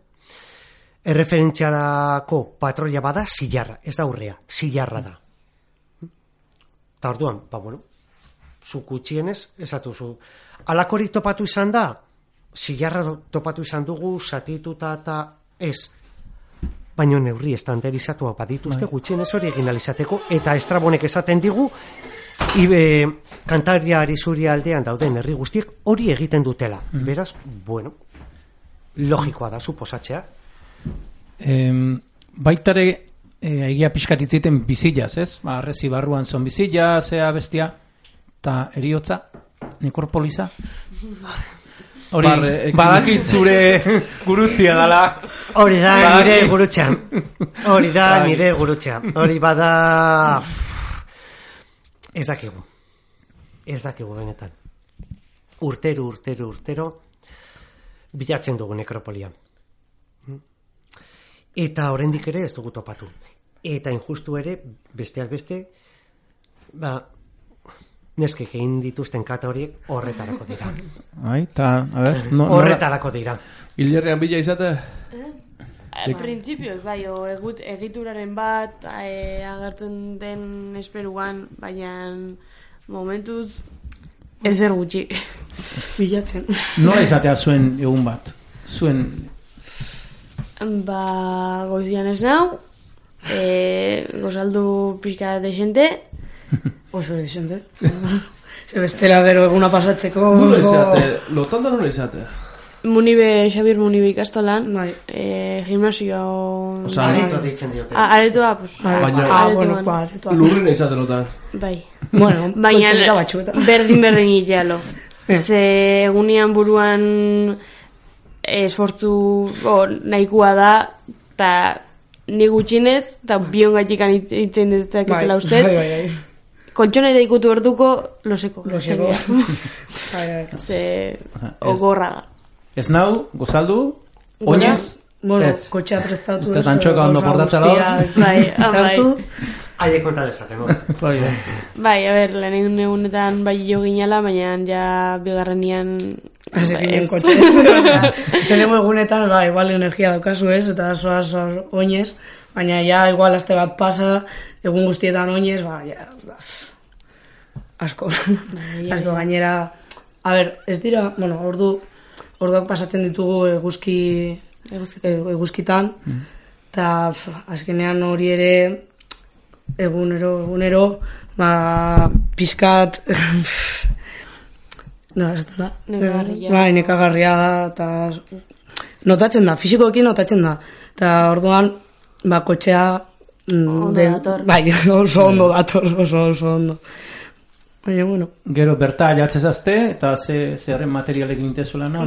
erreferentziarako patroia bada zilarra, ez da urrea, zilarra da. Eta orduan, zuk gutxienez, esatu zu. Alakorik topatu izan da, zilarra topatu izan dugu, zatituta eta ez. Baina neurri estandarizatua badituzte gutxienez hori egin alizateko, eta Estrabonek esaten digu, Kantabria Arizuri aldean dauden herri guztiek hori egiten dutela. Beraz, logikoa da, suposatzea. Baitare, egia pixkat itziten bizilaz, ez? Arrezi barruan zon bizila, zea bestia, eta eriotza, nekropoliza. Hori, badakit zure gurutzia dala. Hori da nire gurutza. Hori bada... Ez dakigu benetan. Urtero bilatzen dugu nekropolia. Eta oraindik ere ez dugu topatu. Eta injustu ere, besteak beste, neskek egin dituzten kata horiek horretarako dira. Horretarako dira. Hilerrean bila izate? Printzipioz, egituraren bat agertzen den esperuan, baina momentuz ezer gutxi. Bilatzen. Nola izatea zuen egun bat? Zuen... Goizian ez nau, gozaldu pixka desente. Oso desente. Bestela gero eguna pasatzeko... Nola izate? Lotanda nola izate? Xabier Munibe ikastolan, gimnasio... Areto deitzen diote. Aretoa, aretoan. Lurrina izaten notan. Bai. Baina berdin itxalo. Ze egunean buruan esfortzu nahikoa da, eta ni gutxinez, eta bion gatikan iten detaketela ustez. Koltxona eta ikutu orduko, loseko. Ze ogorra da. Ez nau, gozaldu, oinez? Kotxea prestatu. Uste tantxoka ondo portatzela. Bai. Aile konta dezaten, Bai, lehen egunetan bai jo ginala, baina ja bigarrenian... Ezekinen kotxea. Tenemo egunetan, igual energia daukazu ez, eta zoaz oinez, baina ja igual aste bat pasa, egun guztietan oinez, asko gainera. Ez dira, orduak pasatzen ditugu eguzkitan, eta azkenean hori ere egunero pizkat nekagarria da, eta notatzen da, fisikoekin notatzen da, eta orduan kotxea bai, oso ondo dator, oso ondo. Baina, bueno. Gero, berta jatzezazte, eta zerren materialekin intezuela, no?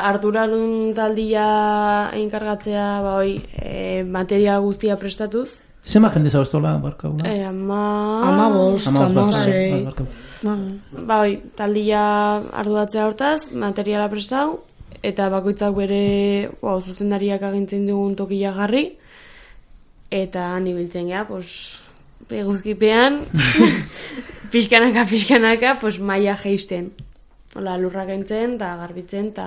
Ardurarun taldia enkargatzea, material guztia prestatuz. Zema jende zauztola, barkaula? Amasei. Taldia arduratzea hortaz, materiala prestau, eta bakoitzak bere zuzendariak agintzen dugun tokia jarri, eta nibiltzen gea, eguzkipean, pixkanaka, maia geisten. Lurrak entzen, eta garbitzen, eta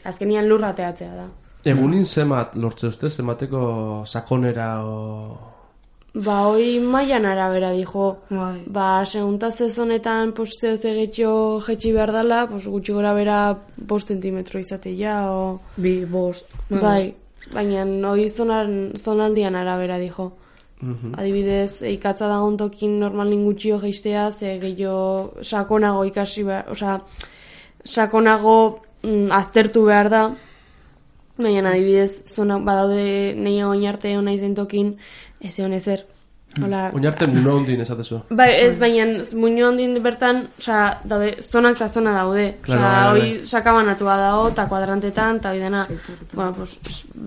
azkenian lurra teatzea da. Egunin zemat lortze uste, zemateko sakonera hoi maian arabera dijo. Segunda sezonetan posteo zegetxo jetxi behar dela, gutxi gora bera 5 zentimetro izatea, o... 5. Baina hoi zonaldian arabera dijo. Adibidez, ikatza dagoen tokin normalin gutxio geistea, ze gehiago sakonago ikasi behar, sakonago aztertu behar da, baina adibidez, badaude nahi oinarte hona izen tokin, ez egon ezer. Oinarte muno hondin esatezu. Ez, baina muno hondin bertan, daude, zonak eta zona daude. Hoi sakabanatua dago, eta kuadrantetan, eta hoi dena,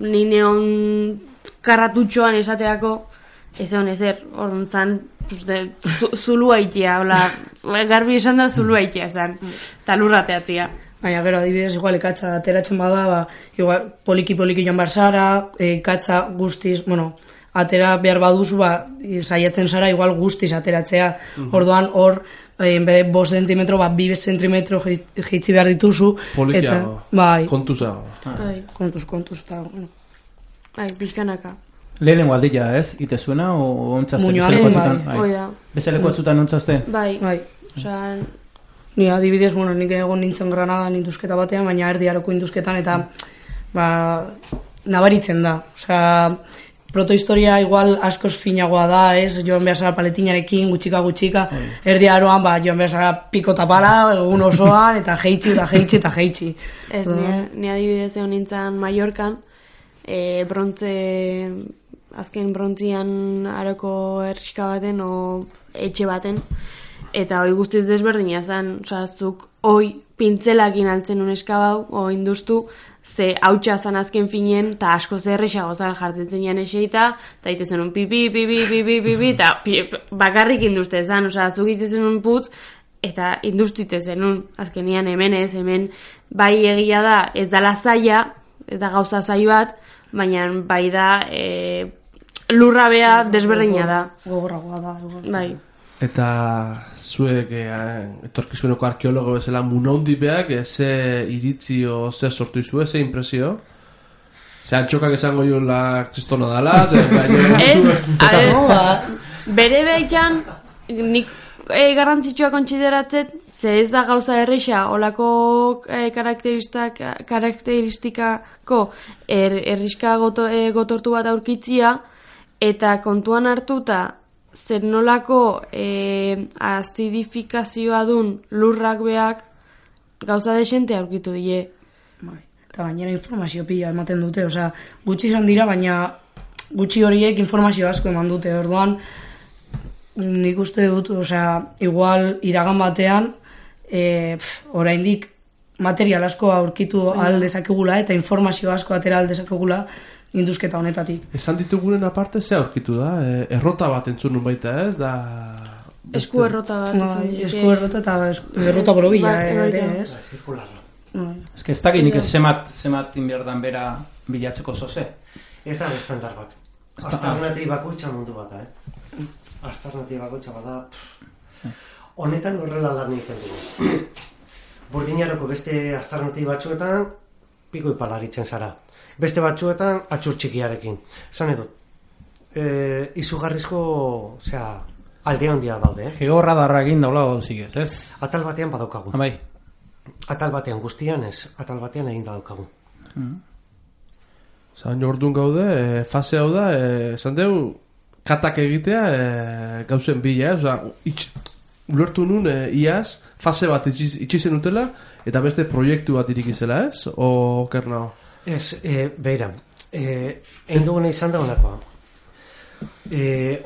ni neon karratutxoan esateako, ez egon ezer, orduan zulua itea, garbi esan da zulua itea zan, eta lurra teatzia. Baina, gero, adibidez, igual, ikatza ateratzen bada, igual, poliki joan barzara, ikatza guztiz, atera behar baduzu, saiatzen zara, igual, guztiz ateratzea. Orduan, hor, en vez de 5 zentimetro, 2 zentimetro jeitzi behar dituzu. Polikiago, kontuzago. Kontuz, eta, bueno. Pixkanaka. Lehenengo aldila, ez? Ite zuena, o ontzazte? Muñoaren, Bezaleko atzutan ontzazte? Bai. Ni adibidez, nik egon nintzen Granadan induzketa batean, baina erdiaroko induzketan, eta nabaritzen da. Protohistoria igual askoz finagoa da, ez? Joan behar zara paletinarekin, gutxika, erdiaroan, joan behar zara pikota pala, egun osoan, eta jeitsi. Ez, ni adibidez egon nintzen Mallorcan, azken brontzian aroko erriska baten, o etxe baten, eta hoi guztiz desberdina zen, zuk hoi pintzelakin altzen uneskabau, o induztu, ze hautsa zan azken finien, eta asko zerrexago zara jartzen zenean eseita, eta itezen un pipi, eta bakarrik induzte zan, zuk itezen un putz, eta induztite zenun, azkenian hemen bai egia da, ez dala zaila, ez da gauza zai bat, baina bai da lurra bea desberdina da. Gogorragoa da. Bai. Eta zuek etorkizuneko arkeologo bezala munondipeak, ze iritzi o ze sortu izue, ze impresio? Ze antxokak esango joan la kristona dala, ze bere behitan nik garrantzitsua kontsideratzet, ze ez da gauza erreixa, olako karakteristikako erriska gotortu bat aurkitzia, eta kontuan hartuta zer nolako azidifikazioa dun lurrak beak gauza desente aurkitu die. Eta gainera informazio pila ematen dute, gutxi izan dira, baina gutxi horiek informazio asko eman dute, orduan nik uste dut, igual iragan batean oraindik material asko aurkitu aldezakegula eta informazio asko atera aldezakegula induzketa honetatik. Esan ditugunen aparte ze aurkitu da? Errota bat entzun nun baita, ez? Esku errota bat. Esku errota eta errota borobila, ez? Ez que ez dakit nik zemat inbierdan bera bilatzeko zoze. Ez da estandar bat. Alternatibako mundu bat, Alternatibako bada. Honetan horrela lan egiten dugu. Burdinaroko beste alternatibatxuetan piko ipalaritzen zara. Beste batzuetan atxur txikiarekin. Zan edut, izugarrizko, alde handia daude. Georradarra egin daula gauzik ez? Atal batean badaukagu. Bai. Atal batean guztian ez, atal batean egin daukagu. Zain orduan gaude, fase hau da, esan dugu, katak egitea gauzen bila, ulertu nun, iaz, fase bat itxizen utela, eta beste proiektu bat irikizela, ez? O, kernao? Ez, behira, egin duguna izan da honakoa.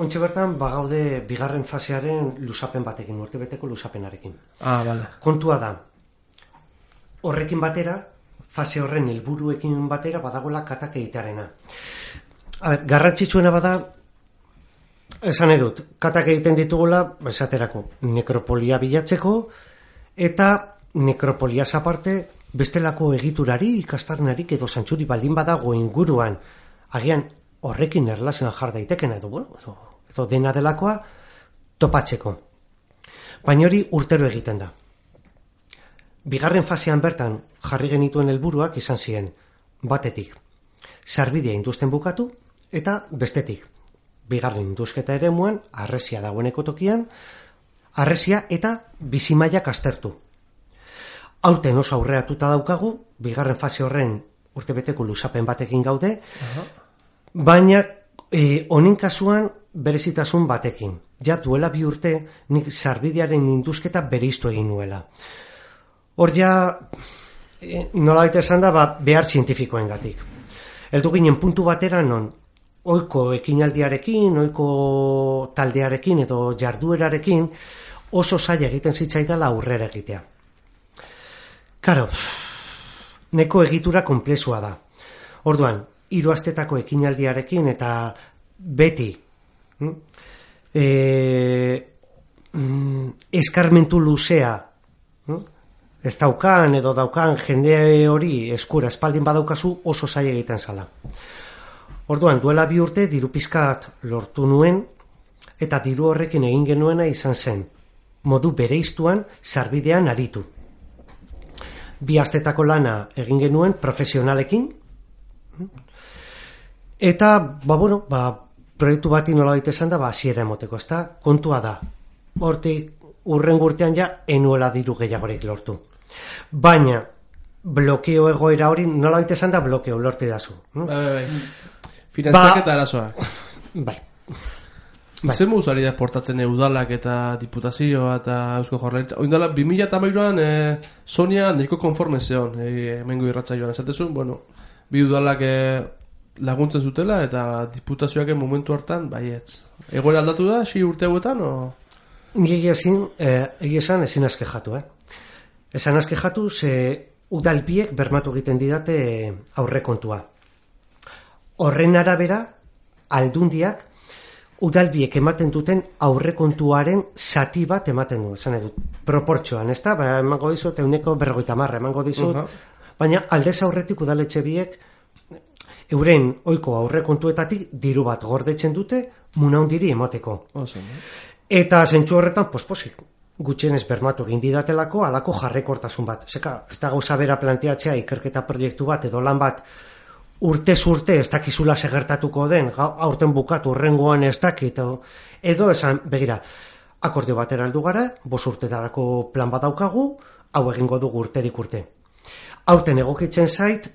Ontxe bertan, bagaude bigarren fasearen lusapen batekin, urtebeteko lusapenarekin. Bale. Kontua da, horrekin batera, fase horren helburuekin batera badagoela katak egitearena. Garrantzitsuena bada, esan edut, katak egiten ditugula, esaterako, nekropolia bilatzeko, eta nekropoliaz aparte, bestelako egiturari, ikastarnarik edo zantzuri baldin badago inguruan, agian horrekin erlazioan jar daitekena edo dena delakoa topatzeko. Baina hori urtero egiten da. Bigarren fasean bertan jarri genituen helburuak izan ziren, batetik, sarbidea induzten bukatu, eta bestetik, bigarren induzketa eremuan, harresia dagoeneko tokian, harresia eta bizimaiak aztertu. Aurten oso aurreratuta daukagu, bigarren fase horren urtebeteko lusapen batekin gaude, baina honen kasuan berezitasun batekin. Ja duela 2 urte nik sarbidearen induzketa bereiztu egin nuela. Hor ja, nolabait esan da, behar zientifikoengatik. Heldu ginen puntu batera non, ohiko ekinaldiarekin, ohiko taldearekin edo jarduerarekin oso zaila egiten zitzaidala aurrera egitea. Karo, neko egitura konplexua da. Orduan, 3 astetako ekinaldiarekin eta beti eskarmentu luzea ez daukan edo daukan jende hori eskura espaldin badaukazu oso zaila egiten zala. Orduan, duela 2 urte diru pizkat lortu nuen eta diru horrekin egin genuena izan zen modu bereiztuan sarbidean aritu. 2 astetako lana egin genuen profesionalekin eta, proiektu bati nolabait esan da, hasiera emoteko, ezta? Kontua da. Hortik hurrengo urtean ja enuela diru gehiagorik lortu. Baina blokeo egoera hori nolabait esan da blokeo lortu dazu. Bai. Finantzak eta arazoak. Bai. Zer moduz ari da esportatzen udalak eta diputazioa eta Eusko Jaurlaritza? Oindala, 2008an Sonia nahiko konforme zeon, hemengo irratsaioan esatezun, bi udalak laguntzen zutela eta diputazioak momentu hartan, baietz. Egoera aldatu da, 6 urte hauetan, o? Egia esan ezin askejatu, Esan askejatu, ze udalbiek bermatu egiten didate aurrekontua. Horren arabera, aldundiak, udalbiek ematen duten aurrekontuaren zati bat ematen du, esan edut, proportxoan, ez da? Emango dizut, 150 emango dizut, baina aldez aurretik udaletxe biek euren ohiko aurrekontuetatik diru bat gordetzen dute munaundiri emoteko. Eta zentzu horretan, posposik, gutxienez bermatu egin didatelako alako jarrekortasun bat. Zeka, ez da gauza bera planteatzea ikerketa proiektu bat edo lan bat urtez urte ez dakizula segertatuko den, aurten bukatu urrengoan ez dakit, edo esan, begira, akordio batera heldu gara, 5 urtetarako plan bat daukagu, hau egingo dugu urterik urte. Aurten egokitzen zait,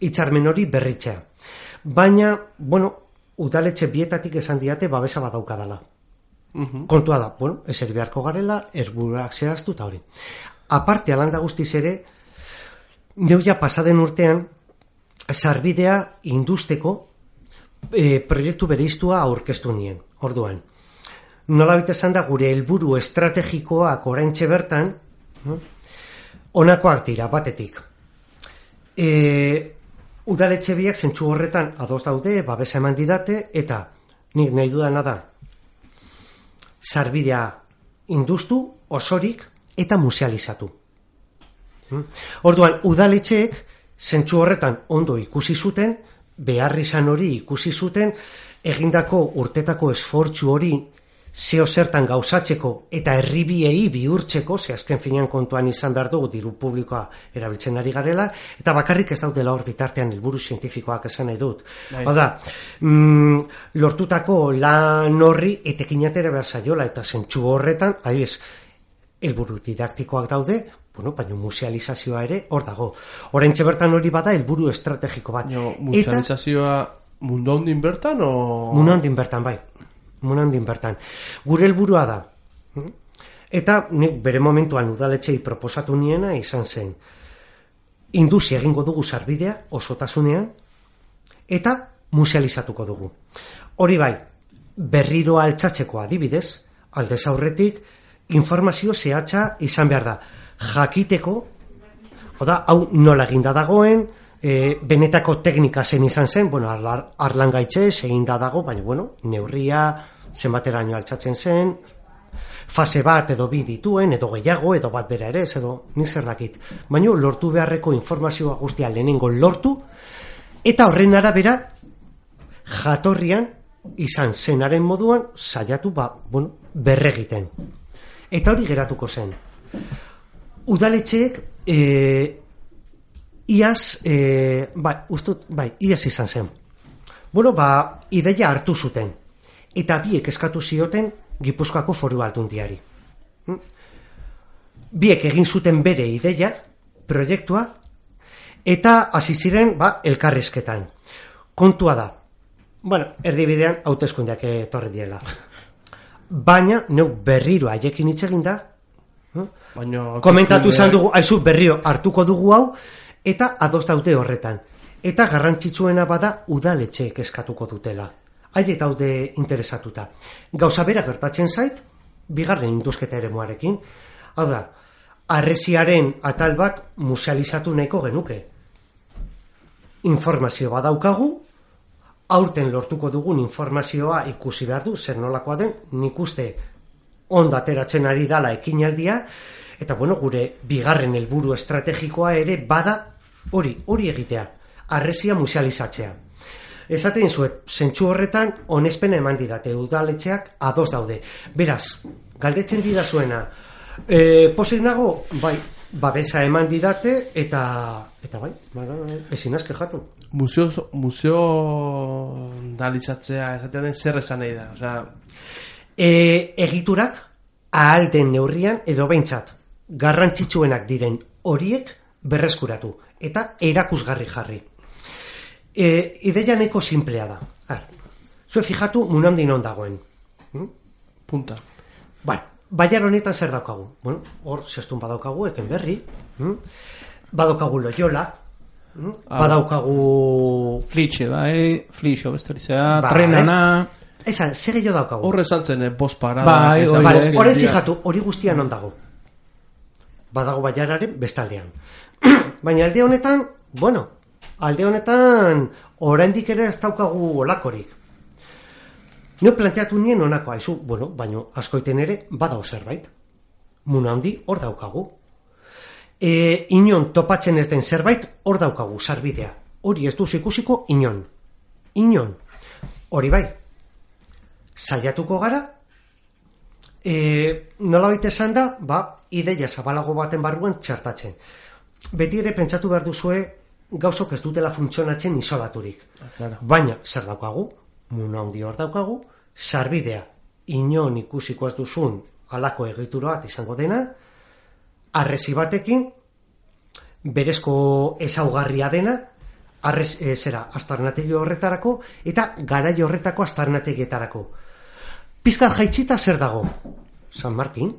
hitzarmen hori berritzea. Baina, udaletxe bietatik esan diate babesa bat daukadala. Kontua da, eser beharko garela, erburak zehaztu eta hori. Aparte, alanda guztiz ere, neuia pasaden urtean, sarbidea industeko proiektu bereiztua aurkeztu nien, orduan. Nolabait esan da gure helburu estrategikoak oraintxe bertan, honakoak dira, batetik. Udaletxe biak zentzu horretan ados daude, babesa eman didate, eta nik nahi dudana da, sarbidea industu, osorik, eta musealizatu. Orduan, udaletxeek zentzu horretan ondo ikusi zuten, behar izan hori ikusi zuten, egindako urtetako esfortzu hori zeo zertan gauzatzeko eta herribiei bihurtzeko, ze azken finean kontuan izan behar dugu diru publikoa erabiltzen ari garela, eta bakarrik ez daudela hor bitartean helburu zientifikoak esan nahi dut. Hau da, lortutako lan horri etekin atera behar zaiola, eta zentzu horretan, helburu didaktikoak daude, Bueno, baina musealizazioa ere hor dago. Oraintxe bertan hori bada helburu estrategiko bat. Musealizazioa mundu handin bertan o... Mundu handin bertan, bai. Mundu handin bertan. Gure helburua da. Eta nik bere momentuan udaletxei proposatu niena izan zen. Induzi egingo dugu sarbidea osotasunean eta musealizatuko dugu. Hori bai, berriro altxatzeko adibidez, aldez aurretik informazio zehatza izan behar da. Jakiteko, hau nola eginda dagoen, benetako teknika zen izan zen, bueno, arlan gaitxez eginda dago, baina, bueno, neurria, zenbateraino altxatzen zen, fase bat edo bi dituen, edo gehiago, edo bat bera ere, edo nik zer dakit. Baina lortu beharreko informazioa guztia lehenengo lortu, eta horren arabera, jatorrian, izan zenaren moduan, saiatu, berregiten. Eta hori geratuko zen. Udaletxeek, iaz izan zen. Bueno, ideia hartu zuten. Eta biek eskatu zioten Gipuzkoako Foru Aldundiari. Biek egin zuten bere ideia, proiektua, eta hasi ziren elkarrizketan. Kontua da, erdibidean hauteskundeak etorri diela. Baina, neu berriro haiekin hitz egin da, komentatu izan dugu, berriro hartuko dugu hau, eta ados daude horretan. Eta garrantzitsuena bada udaletxeek eskatuko dutela. Haiek daude interesatuta. Gauza bera gertatzen zait, bigarren induzketa eremuarekin. Hau da, harresiaren atal bat musealizatu nahiko genuke. Informazio badaukagu, aurten lortuko dugun informazioa ikusi behar du, zer nolakoa den, nik uste ondo ateratzen ari dala ekinaldia, eta gure bigarren helburu estrategikoa ere bada hori egitea, harresia musealizatzea. Esaten zuet, zentsu horretan onespena eman didate, udaletxeak ados daude. Beraz, galdetzen didazuena, pozik nago, babesa eman didate, eta ezin azke jatu. Museo dalitzatzea, esaten den zer esan nahi da? Egiturak ahal den neurrian, edo behintzat, garrantzitsuenak diren horiek berreskuratu, eta erakusgarri jarri. Ideia neko simplea da. Zue fijatu munandin on dagoen. Punta. Baiar honetan zer daukagu? Hor zestun badaukagu, eken berri. Badaukagu Loyola. Badaukagu... Flitxe, Flixo, besterizea, Trenana... Zer gehiago daukagu? Horre saltzen, bost parada... Horren fijatu, hori guztian on dago. Badago baiararen bestaldean. Baina alde honetan, alde honetan, oraindik ere ez daukagu olakorik. Nio planteatu nien onako, baina askoiten ere badau zerbait. Muna handi hor daukagu. Inon topatzen ez den zerbait hor daukagu, sarbidea. Hori ez duz ikusiko inon. Hori bai. Saiatuko gara, nolabait esan da, ideia zabalago baten barruan txartatzen. Beti ere pentsatu behar duzue gauzok ez dutela funtzionatzen isolaturik. Baina, zer daukagu? Muna handi hor daukagu, sarbidea inon ikusiko ez duzun halako egitura bat izango dena, harresi batekin, berezko ezaugarria dena, aztarnategi horretarako, eta garai horretako aztarnategietarako. Pizkat jaitsita zer dago? San Martin.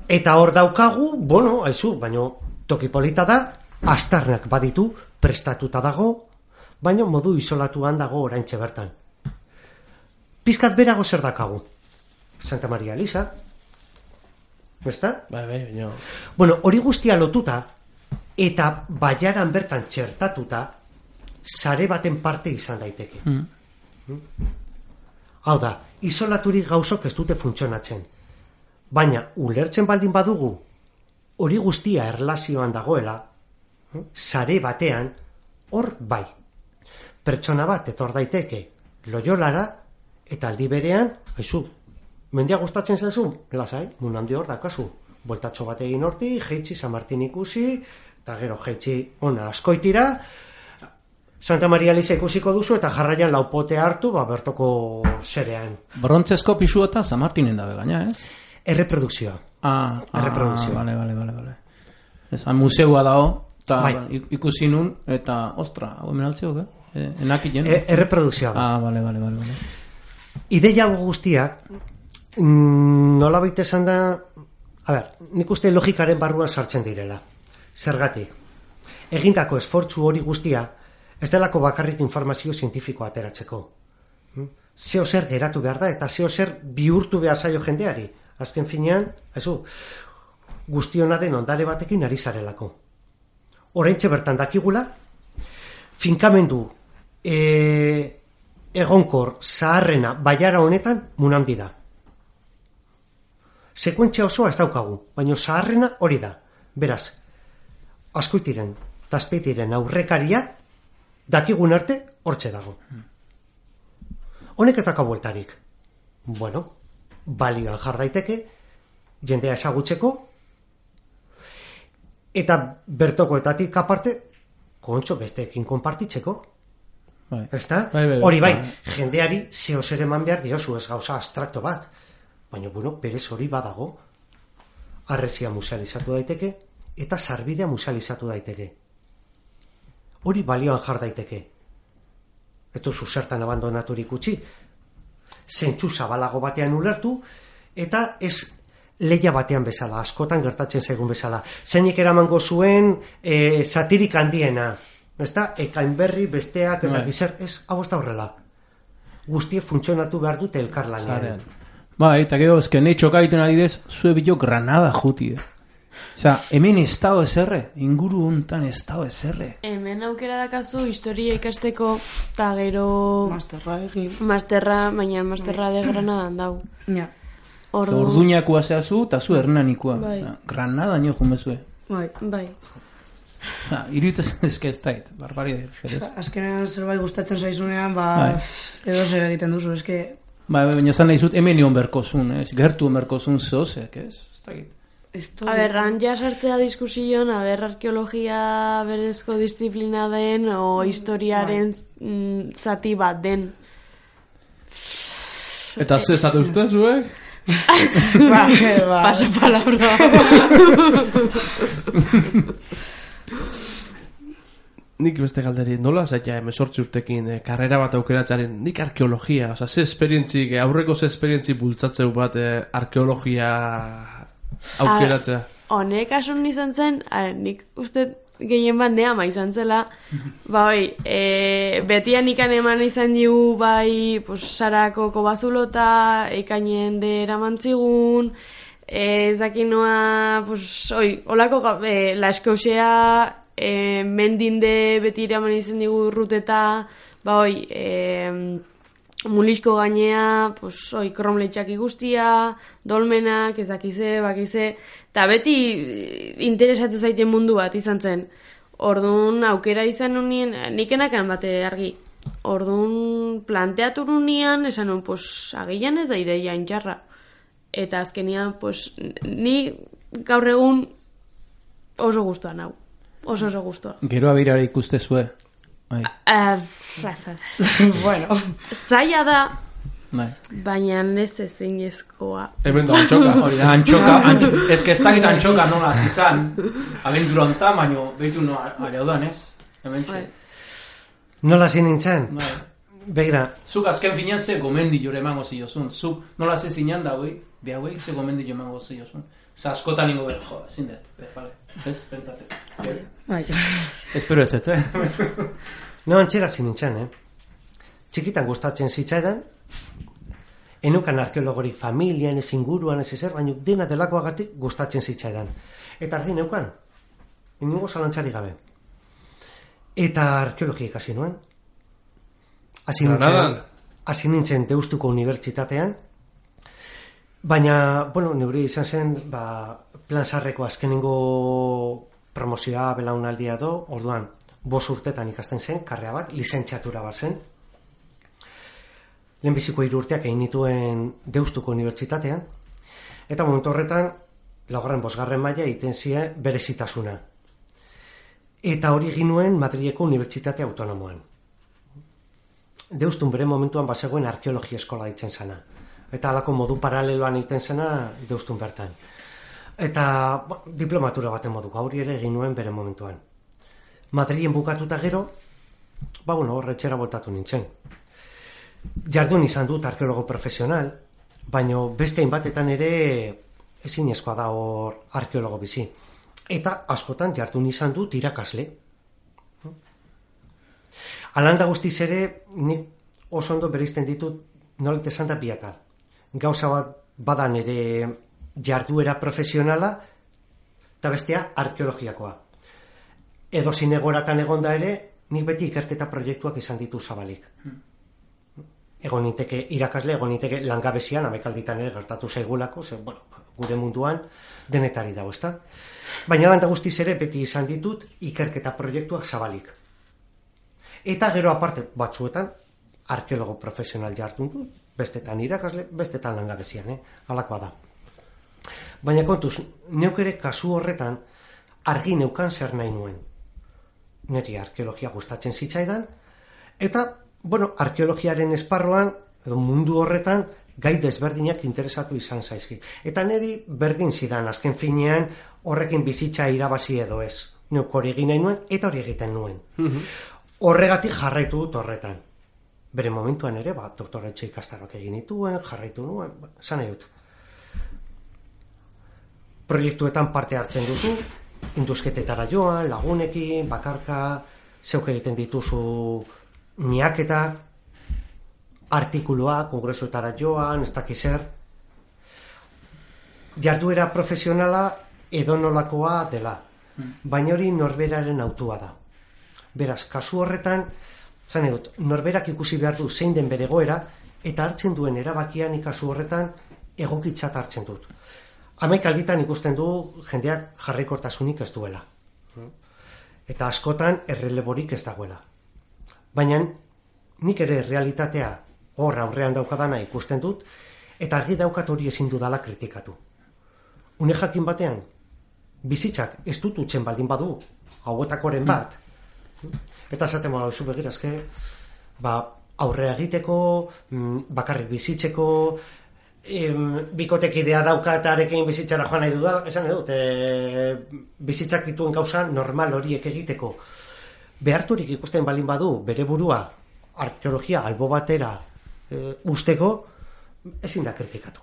Eta hor daukagu, baina toki polita da, aztarnak baditu, prestatuta dago, baina modu isolatuan dago oraintxe bertan. Pizkat berago zer dakagu? Santa Maria Elisa. Ezta? Hori guztia lotuta, eta baiaran bertan txertatuta, sare baten parte izan daiteke. Hau da, isolaturik gauzok ez dute funtzionatzen. Baina, ulertzen baldin badugu, hori guztia erlazioan dagoela, sare batean, hor bai. Pertsona bat etor daiteke Loyolara, eta aldi berean, mendia gustatzen zaizu, lasai, munandi hor dakazu. Bueltatxo bat egin horti, jeitsi San Martin ikusi, eta gero jeitsi ona askoitira, Santa Maria Elisa ikusiko duzu, eta jarraian laupote hartu, bertoko zerean. Brontzesko pisu eta San Martinen dabe gaina, ez? Erreprodukzioa. Vale. Ezan museua dago, eta Bai. ikusi nun, eta, ostra, hau hemen altzeok, enakien? Erreprodukzioa da. Bale. Ideia hau guztiak, nolabait esan da, nik uste logikaren barruan sartzen direla. Zergatik. Egindako esfortzu hori guztia, ez delako bakarrik informazio zientifikoa ateratzeko. Zeo zer geratu behar da, eta zeo zer bihurtu behar zaio jendeari. Azken finean, guztiona den ondare batekin ari zarelako. Oraintxe bertan dakigula, finkamendu egonkor zaharrena baiara honetan munandi da. Sekuentzia osoa ez daukagu, baina zaharrena hori da. Beraz, Azkoitiren, Azpeitiren aurrekaria dakigun arte hortxe dago. Honek ez daka bueltarik. Bueno, balioan jar daiteke, jendea ezagutzeko, eta bertokoetatik aparte, kontxo besteekin konpartitzeko. Ezta? Hori bai, jendeari zeo zer eman behar diozu, ez gauza abstrakto bat. Baina, berez hori badago. Harresia musealizatu daiteke, eta sarbidea musealizatu daiteke. Hori balioan jar daiteke. Ez duzu zertan abandonaturik utzi. Zentzu zabalago batean ulertu, eta ez leia batean bezala, askotan gertatzen zaigun bezala. Zeinek eramango zuen satirik handiena. Ezta? Ekain berri, besteak, ez dakiz zer, hau ez da horrela. Guztie funtzionatu behar dute elkarlanean. Eta gero, ezken nahi txokaiten adidez, zue bilo Granada juti. Osea, hemen ez dago ezerre, inguru hontan ez dago ezerre. Hemen aukera dakazu historia ikasteko, eta gero... Masterra egin. Baina masterra de Granadan dau. Ja. Orduñakoa zehazu, eta zu Hernanikoa. Granada nio jumezue. Bai. Iruditzen ezke ez dait, barbaria. Azkenean zerbait gustatzen zaizunean, edo zer egiten duzu, eske... Baina zan nahi zut, hemen nion berkozun, gertu berkozun zehozek, ez? Han ja sartzea diskusioan, arkeologia berezko disiplina den, o historiaren zati bat den. Eta ze zate uste zuek? Pasa palabra. Nik beste galderi, nola zaila 18 urtekin karrera bat aukeratzaren, nik arkeologia, ze esperientzik, aurreko ze esperientzik bultzatzeu bat arkeologia aukeratzea? Honek asun izan zen, nik uste gehien bat neama izan zela, betian ikan eman izan digu, sarako kobazulota, ikainen de eramantzigun, ezakinoa, holako la eskausea, mendinde beti iraman izan digu ruteta, mulisko gainea, kromletxak guztia, dolmenak, ezakize, bakize, eta beti interesatu zaiten mundu bat izan zen. Orduan aukera izan nunien, nik enakan bate argi. Orduan planteatu nunien, esan nun, agian ez da ideia intxarra. Eta azkenian, ni gaur egun oso guztuan hau. Oso guztua. Gero abirara ikuste zue. Bueno. Zaila da, baina ez ezinezkoa. Hemen da antxoka. Ez que ez dakit antxoka nola zizan. Abentura onta, baina behitu aliaudan, ez? Nola zinintzen? Begira. Zuk azken finean ze gomendi jore emango ziozun. Zuk nola ze zinean da hauei ze gomendi jore emango ziozun. Askotan ingo zindet, bale, ez, pentsatzen. Espero ez ez, No, antxera zinintzen, Txikitan gustatzen zitzaidan, enukan arkeologorik familian, ez inguruan, ez ezer, baina dena delakoagatik gustatzen zitzaidan. Eta argi neukan, inungo zalantzari gabe. Eta arkeologia ikasi nuen. Hasi nintzen Deustuko Unibertsitatean, baina, neure izan zen, plan sarreko azkenengo promozioa belaunaldia orduan, 5 urtetan ikasten zen, karrea bat, lizentziatura bat zen. Lehenbiziko 3 urteak egin nituen Deustuko Unibertsitatean, eta momentu horretan, 5. maila egiten zie berezitasuna. Eta hori egin nuen Madrileko Unibertsitate Autonomoan. Deustun bere momentuan bazegoen arkeologia eskola ditzen zena. Eta alako modu paraleloan egiten zena Deustun bertan. Eta diplomatura baten moduko, hori ere egin nuen bere momentuan. Madrilen bukatuta gero, hor etxera voltatu nintzen. Jardun izan dut arkeologo profesional, baina beste hainbatetan ere ezinezkoa da hor arkeologo bizi. Eta askotan jardun izan dut irakasle. Alanda guztiz ere, nik oso ondo bereizten ditut nolet esan da biatal. Gauza bat badan ere jarduera profesionala eta bestea arkeologiakoa. Edo zinegoratan egonda ere, nik beti ikerketa proiektuak izan ditu zabalik. Egon ninteke irakasle, egon ninteke langabezian, amekalditan ere gertatu zaigulako, gure munduan denetari dago, ezta? Baina landa guztiz ere beti izan ditut ikerketa proiektuak zabalik. Eta gero aparte batzuetan arkeologo profesional jardun dut, bestetan irakasle, bestetan langabezian, halakoa da. Baina kontuz, neuk ere kasu horretan argi neukan zer nahi nuen. Neri arkeologia gustatzen zitzaidan, eta, arkeologiaren esparruan, edo mundu horretan, gai desberdinak interesatu izan zaizkit. Eta neri berdin zidan, azken finean, horrekin bizitza irabazi edo ez. Neuk hori egin nahi nuen, eta hori egiten nuen. Horregatik jarraitu dut horretan. Bere momentuan ere, doktoretxe ikastaroak egin dituen, jarraitu nuen, esan nahi dut. Proiektuetan parte hartzen duzu, induzketetara joan, lagunekin, bakarka, zeuk egiten dituzu miaketak, artikuloa, kongresuetara joan, ez dakiz zer. Jarduera profesionala edonolakoa dela, baina hori norberaren autua da. Beraz, kasu horretan, zan edut, norberak ikusi behar du zein den bere egoera, eta hartzen duen erabakian kasu horretan egokitzat hartzen dut. Hamaik alditan ikusten du jendeak jarraikortasunik ez duela. Eta askotan erreleborik ez dagoela. Baina nik ere realitatea hor aurrean daukadana ikusten dut, eta argi daukat hori ezin dudala kritikatu. Une jakin batean, bizitzak ez dut utzen baldin badu, hauetakoren bat, eta esaten zu begirazke, aurrea egiteko, bakarrik bizitzeko, bikotekidea dauka eta arekin bizitzara joan nahi dudala, esan dut, bizitzak dituen gauza normal horiek egiteko. Beharturik ikusten balin badu, bere burua, arkeologia albo batera usteko, ezin da kritikatu.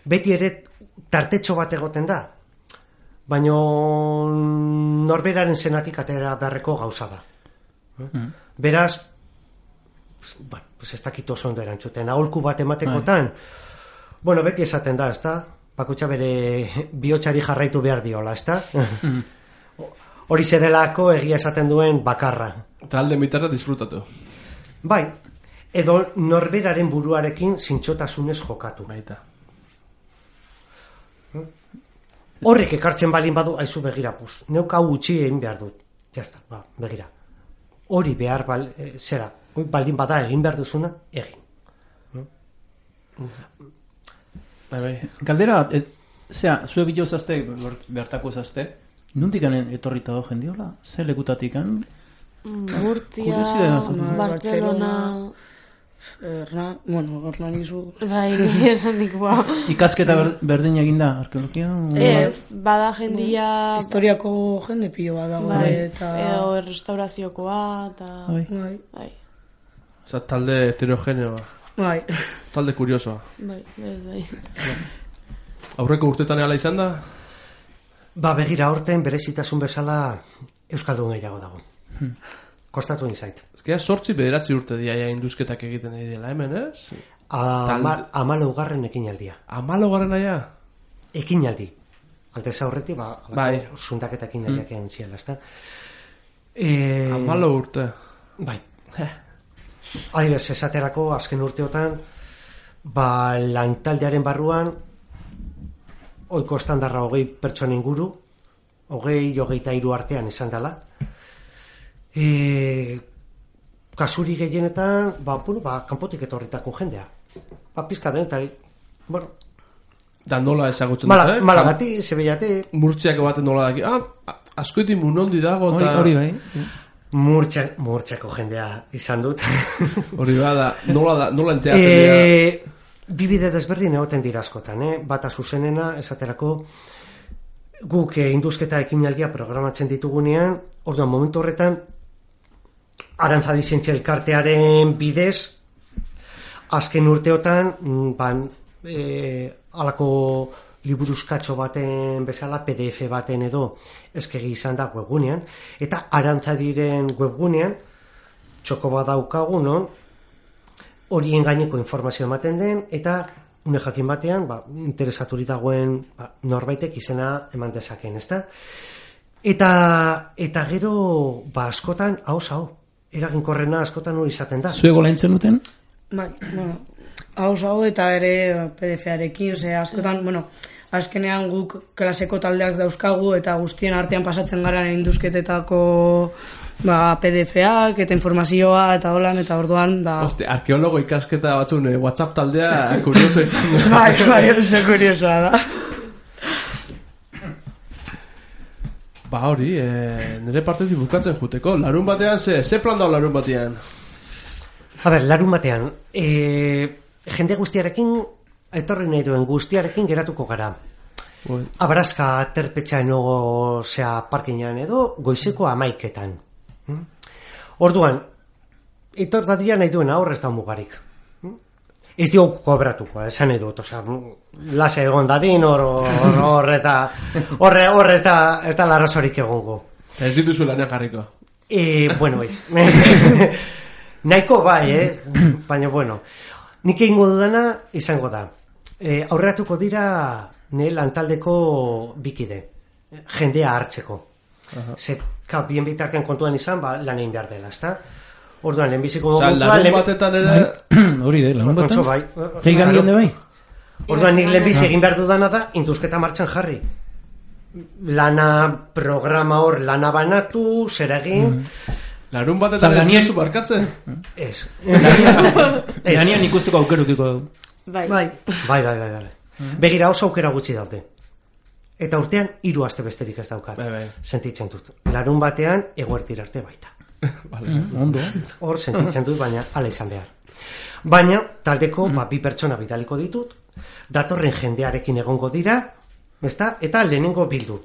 Beti ere tartetxo bat egoten da, baina norberaren zenatik atera beharreko gauza da. Beraz, ez dakit oso ondo erantzuten, aholku bat ematekotan, beti esaten da, ezta? Bakutxa bere bihotzari jarraitu behar diola, ezta? Hori zedelako egia esaten duen bakarra. Eta alde mitarra disfrutatu. Bai, edo norberaren buruarekin zintxotasunez jokatu. Baita. Horrek ekartzen balin badu, aizu begira, neuk hau utzi egin behar dut. Jazta, begira. Hori behar zera, baldin bada egin behar duzuna, egin. Galdera, zue bilozazte, bertako zazte, nondik etorrita do jendiola? Ze lekutatik? Murtzia, Barcelona... Hernanizu... Bai, erranik, Ikasketa berdin egin da, arkeologia? Ez, bada jendia... Historiako jende pilo bat dago. Edo restauraziokoa, eta... Bai. Osa, talde heterogeneoa. Bai. Talde kuriosoa. Bai. Aurreko urtetan ala izan da? Begira, aurten berezitasun bezala euskaldun gehiago dago. Kostatu inzait. Ezkera, 8-9 urte diaia induzketak egiten dela hemen, ez? 14. ekinaldia. 14. aia? Ekinaldi. Altez aurretik, zundaketa ekinaldiak egin ziela, ezta? 14 urte. Bai. Adibes, esaterako, azken urteotan, lantaldearen barruan, oiko estandarra 20 pertsona inguru, 20-23 artean izan dela. Kasuri gehienetan, kanpotik etorritako jendea. Pizka denetari, Da nola ezagutzen dut, Malagati, Sevillate. Murtziako baten nola daki. Askoetik munondi dago. Hori bai. Murtziako jendea izan dut. Hori bada, nola enteatzen dira. bibide desberdin egoten dira askotan, bata zuzenena, esaterako, guk induzketa ekinaldia programatzen ditugunean, orduan momentu horretan, Arantzadi Zientzia Elkartearen bidez, azken urteotan, alako liburuzkatxo baten bezala, PDF baten edo eskegi izan da webgunean, eta Arantzadiren webgunean, txoko bat daukagu, non, horien gaineko informazio ematen den, eta une jakin batean, interesaturi dagoen norbaitek izena eman dezakeen, ezta? Eta gero, askotan, hau, eraginkorrena askotan hori izaten da. Zuego lehentzen duten? Bai, hau eta ere PDF-arekin, askotan, azkenean guk klaseko taldeak dauzkagu eta guztien artean pasatzen gara induzketetako PDF-ak eta informazioa eta holan, eta orduan Hoste, arkeologo ikasketa batzun WhatsApp taldea kurioso izan da. Bai, oso kuriosoa da. Hori, nire partetik bukatzen juteko. Larun batean, ze plan dago larun batean? Larun batean, jende guztiarekin, etorri nahi duen guztiarekin geratuko gara. Abraska terpetxaen ogo parkinean edo, goizeko 11:00. Orduan, etor dadia nahi duen aurrez da mugarik. Ez diogu kobratuko, esan edut, lase egon dadin, hor ez da larrazorik egongo. Ez dituzu lanean jarriko? Bueno, ez. Nahiko bai, baina, nik egingo dudana izango da. Aurreratuko dira nire lantaldeko bikide, jendea hartzeko. Bien bitartean kontuan izan, lan egin behar dela, ezta? Orduan, lehenbiziko momentua... Larun batetan ere... Hori de, larun batetan? Bai. Teigan dion de bai? Orduan, nik lehenbizi egin behar dudana da, induzketa martxan jarri. Programa hor, lana banatu, zer egin... Larun batetan ez duzu barkatzen? Ez. Lanian ikusteko aukerukiko du. Bai. Begira, oso aukera gutxi daude. Eta urtean, 3 aste besterik ez daukat. Sentitzen dut. Larun batean, eguerdir arte baita. Ondo. Hor sentitzen dut, baina ala izan behar. Baina, taldeko 2 pertsona bidaliko ditut, datorren jendearekin egongo dira, eta lehenengo bildu.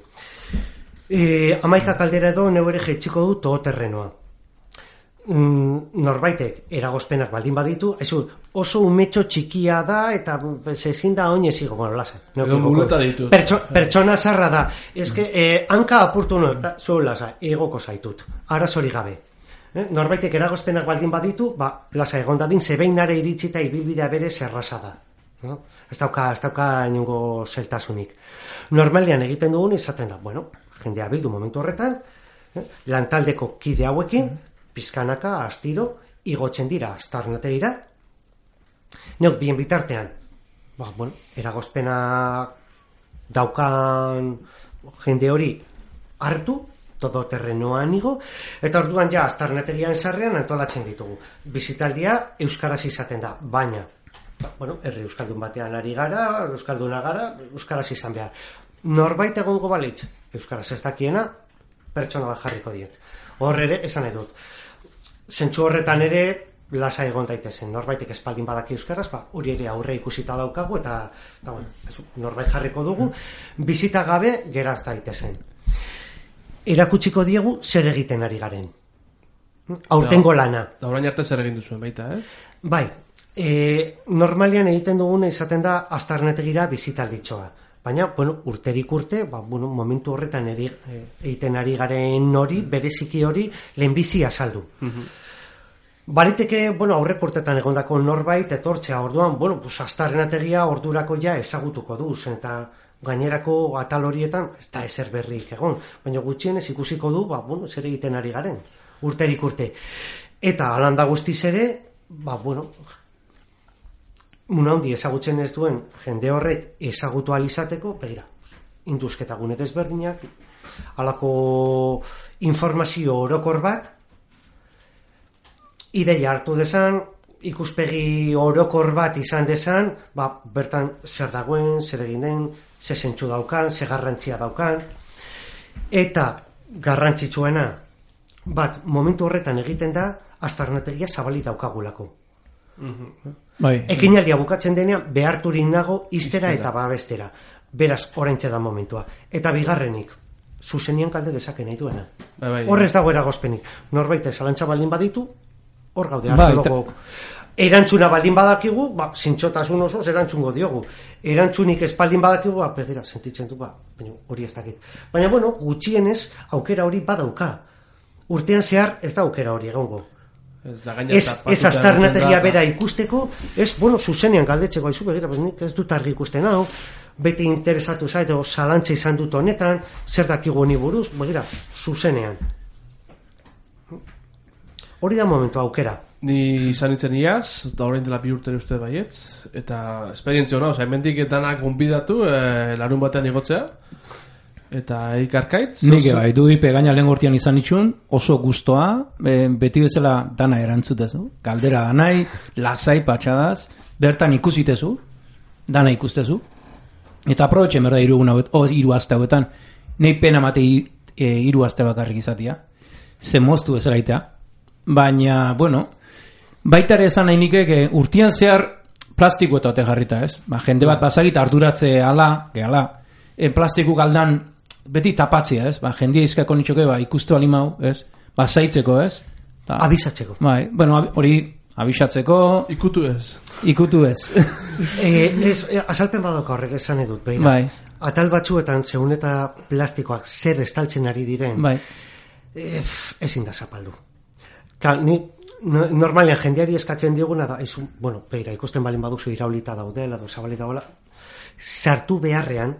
11 kaldera edo neure jetxiko du todoterrenoa. Norbaitek eragozpenak baldin baditu, oso umetxo txikia da eta ezin da oinez igo, lasa. Pertsona zarra da. Hanka apurtu zuen lasa, egoko zaitut. Arazori gabe. Norbaitek eragozpenak baldin baditu, lasa egon dadin, zebeinare iritsita ibilbidea bere zerraza da. Ez dauka inungo zeltasunik. Normalian egiten dugun izaten da, jendea bildu momentu horretan, lantaldeko kide hauekin, pizkanaka, astiro, igotzen dira astarnategira. Neok bien bitartean, eragozpena daukan jende hori hartu, todoterrenoan igo, eta orduan astarnategian sarrean antolatzen ditugu. Bizitaldia euskaraz izaten da, baina, herri euskaldun batean ari gara, euskalduna gara, euskaraz izan behar. Norbait egongo balitz, euskaraz ez dakiena, pertsona bat jarriko diet. Hor ere, esan edut. Zentzu horretan ere, lasa egon daitezen. Norbaitek espaldin badaki euskaraz, hori ere aurre ikusita daukagu, eta norbait jarriko dugu, bizita gabe geraz daitezen. Erakutsiko diegu zer egiten ari garen. Aurtengo lana. Da orain arte zer egin duzuen baita, Bai, normalian egiten duguna izaten da astarnetegira bizitalditxoa. Baina, urterik urte, momentu horretan egiten ari garen hori, bereziki hori, lehenbizi azaldu. Bariteke, aurrek urtetan egondako norbait, etortzea orduan, astarnetegia ordurako ezagutuko duz, eta gainerako atal horietan, ez da ezer berrik egon, baina gutxienez ikusiko du, zer egiten ari garen, urterik urte. Eta alanda guztiz ere, munaundi ezagutzen ez duen jende horrek ezagutu alizateko, begira, induzketa gune desberdinak, halako informazio orokor bat, ideia hartu dezan, ikuspegi orokor bat izan dezan, bertan zer dagoen, zer egin den, ze zentsu daukan, ze garrantzia daukan, eta garrantzitsuena, momentu horretan egiten da, astarnategia zabali daukagulako. Bai. Ekinaldia bukatzen denean, beharturik nago iztera eta babestera. Beraz, oraintxe da momentua. Eta bigarrenik, zuzenian kalde dezake nahi duena. Hor ez dago eragozpenik. Norbait zalantza baldin baditu, hor gaude arkeologok. Erantzuna baldin badakigu, zintxotasun osoz erantzungo diogu. Erantzunik espaldin badakigu, begira, sentitzen du, hori ez dakit. Baina, bueno, gutxienez, aukera hori badauka. Urtean zehar ez da aukera hori egongo. Ez aztarnategia bera ikusteko, zuzenean galdetzeko aizu, begira, nik ez dut argi ikusten hau, beti interesatu zait, zalantza izan dut honetan, zer dakigu honi buruz, begira, zuzenean. Hori da momentu aukera. Ni izan itzen iaz, eta horrein dela 2 urte uste baietz, eta esperientzia hona, hemendik etanak gonbidatu larun batean igotzea, eta ikarkaitz. Nik bai, du ipe gaina lehen gortian izan itxun, oso gustoa, beti bezala dana erantzutezu, galdera danai, lasai patxadaz, bertan ikusitezu, dana ikustezu, eta aprobetxen berda 3 aste hauetan, nahi pena mate 3 aste bakarrik izatea, ze moztu bezalaitea, baina, bueno, baita ere esan nahi nikek urtian zehar plastiko eta ote jarrita, ez? Jende bat basagita arduratze ala, plastiku galdan beti tapatzea, ez? Jendia izkako nitxoke, ikustu alimau, ez? Basaitzeko, ez? Abisatzeko. Bai, bueno, hori abisatzeko... Ikutu ez. Azalpen badoko horrek esan edut, behira. Bai. Atal batzuetan, segun eta plastikoak zer estaltzen ari diren, bai. Ezin da zapaldu. Normalean jendeari eskatzen dioguna da, beira, ikusten balin baduzu iraulita daudela, zabalik daudela, sartu beharrean,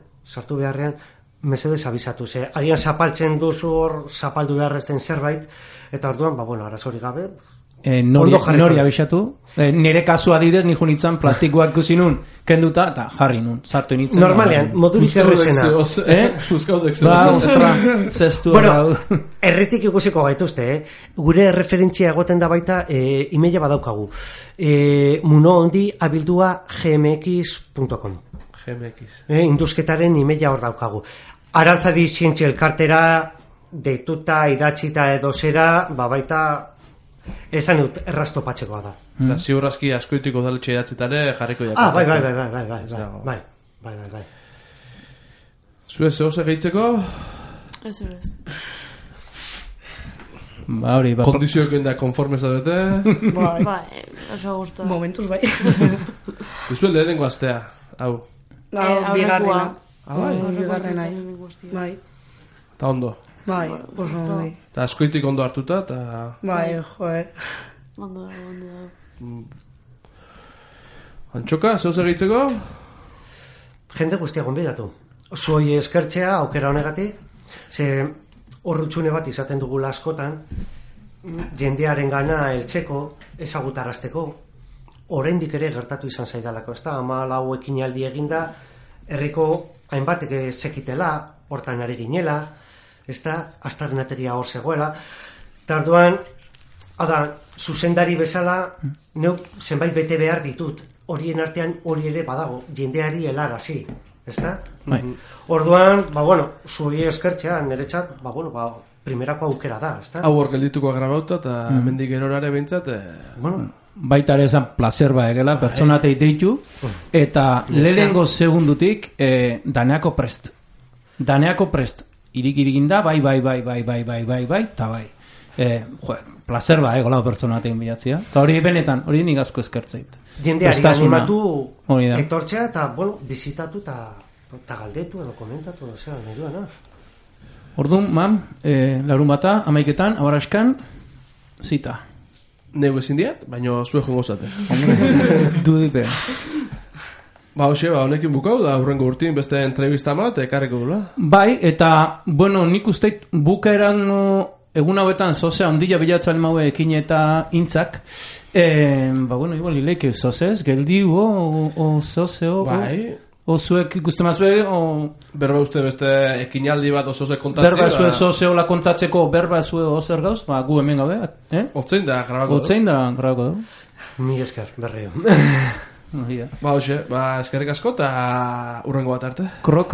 mesedez abizatu, agian zapaltzen duzu hor, zapaldu beharrezten zerbait, eta orduan, arazori gabe, nori abisatu, nire kasua didez, nijo nintzen plastikoak ikusinun, kenduta, eta jarri nun, sartu nintzen. Normalean, modurik errezena. Bueno, erretik ikusiko gaituzte, gure referentzia egoten da baita, imeia badaukagu. Munohondi abildua gmx.com. Induzketaren imeia hor daukagu. Arantzadi zientzia elkartera, deituta, idatzita edo zera, baita... Esan dut, errastopatzekoa da. Da, ziurrazki askoitiko daletxe idatzetare jarriko jakot. Bai. Zue, zehose gehitzeko? Ez. Kondizioak da konforme zabete? Bai, oso gustu. Momentuz bai. Zue lehenengo astea, hau? Bigarrena. Bigarrena. Bai. Eta ondo? Bai, oso ondo. Eta askoitik ondo hartuta, eta... Bai, joe. Ondo. Antxoka, zehose gehitzeko? Jende guztia gonbidatu. Zuoi eskertzea, aukera honegatik, ze horrutxune bat izaten dugula askotan, jendearen gana heltzeko, ezagutarazteko, oraindik ere gertatu izan zaidalako, ez da, 14 ekinaldi eginda, herriko hainbatek zekitela, hortan ari ginela, ez da, aztarnateria hor zegoela, eta orduan, zuzendari bezala, neuk zenbait bete behar ditut, horien artean hori ere badago, jendeari helarazi, ez da? Orduan, zuei eskertzea, niretzat, primerako aukera da, ez da? Hau hor geldituko grabauta, eta mendik erorare behintzat... Baita ere esan placer egela, pertsonatei deitu, eta lehengo segundutik, daneako prest. Irik da, bai, eta bai. Placer egola pertsonatein bilatzea. Eta hori benetan, hori nik asko eskertzeit. Jendeari animatu etortzea, eta, bizitatu eta galdetu edo komentatu edo zera, nahi duena. Orduan, larun bata, 11 abaraskan, zita. Neu ezin diat, baina zue jongo zate. Dudipe. Honekin bukau, da hurrengo urtin beste entrevista bat, ekarriko dula. Bai, eta, nik usteit bukaeran egun hauetan zozea ondila bilatzen maue ekin eta intzak. Igual ileike zozez, geldi, zozeo. Bai. Zuek ikusten mazue, berba uste beste ekinaldi bat zozek kontatzea. Berba zue zozeola kontatzeko, berba zue ozer gauz, gu hemen gabe. Otzein da grabako du. Mi esker, berreo. Eskerrik asko eta hurrengo bat arte. Kro.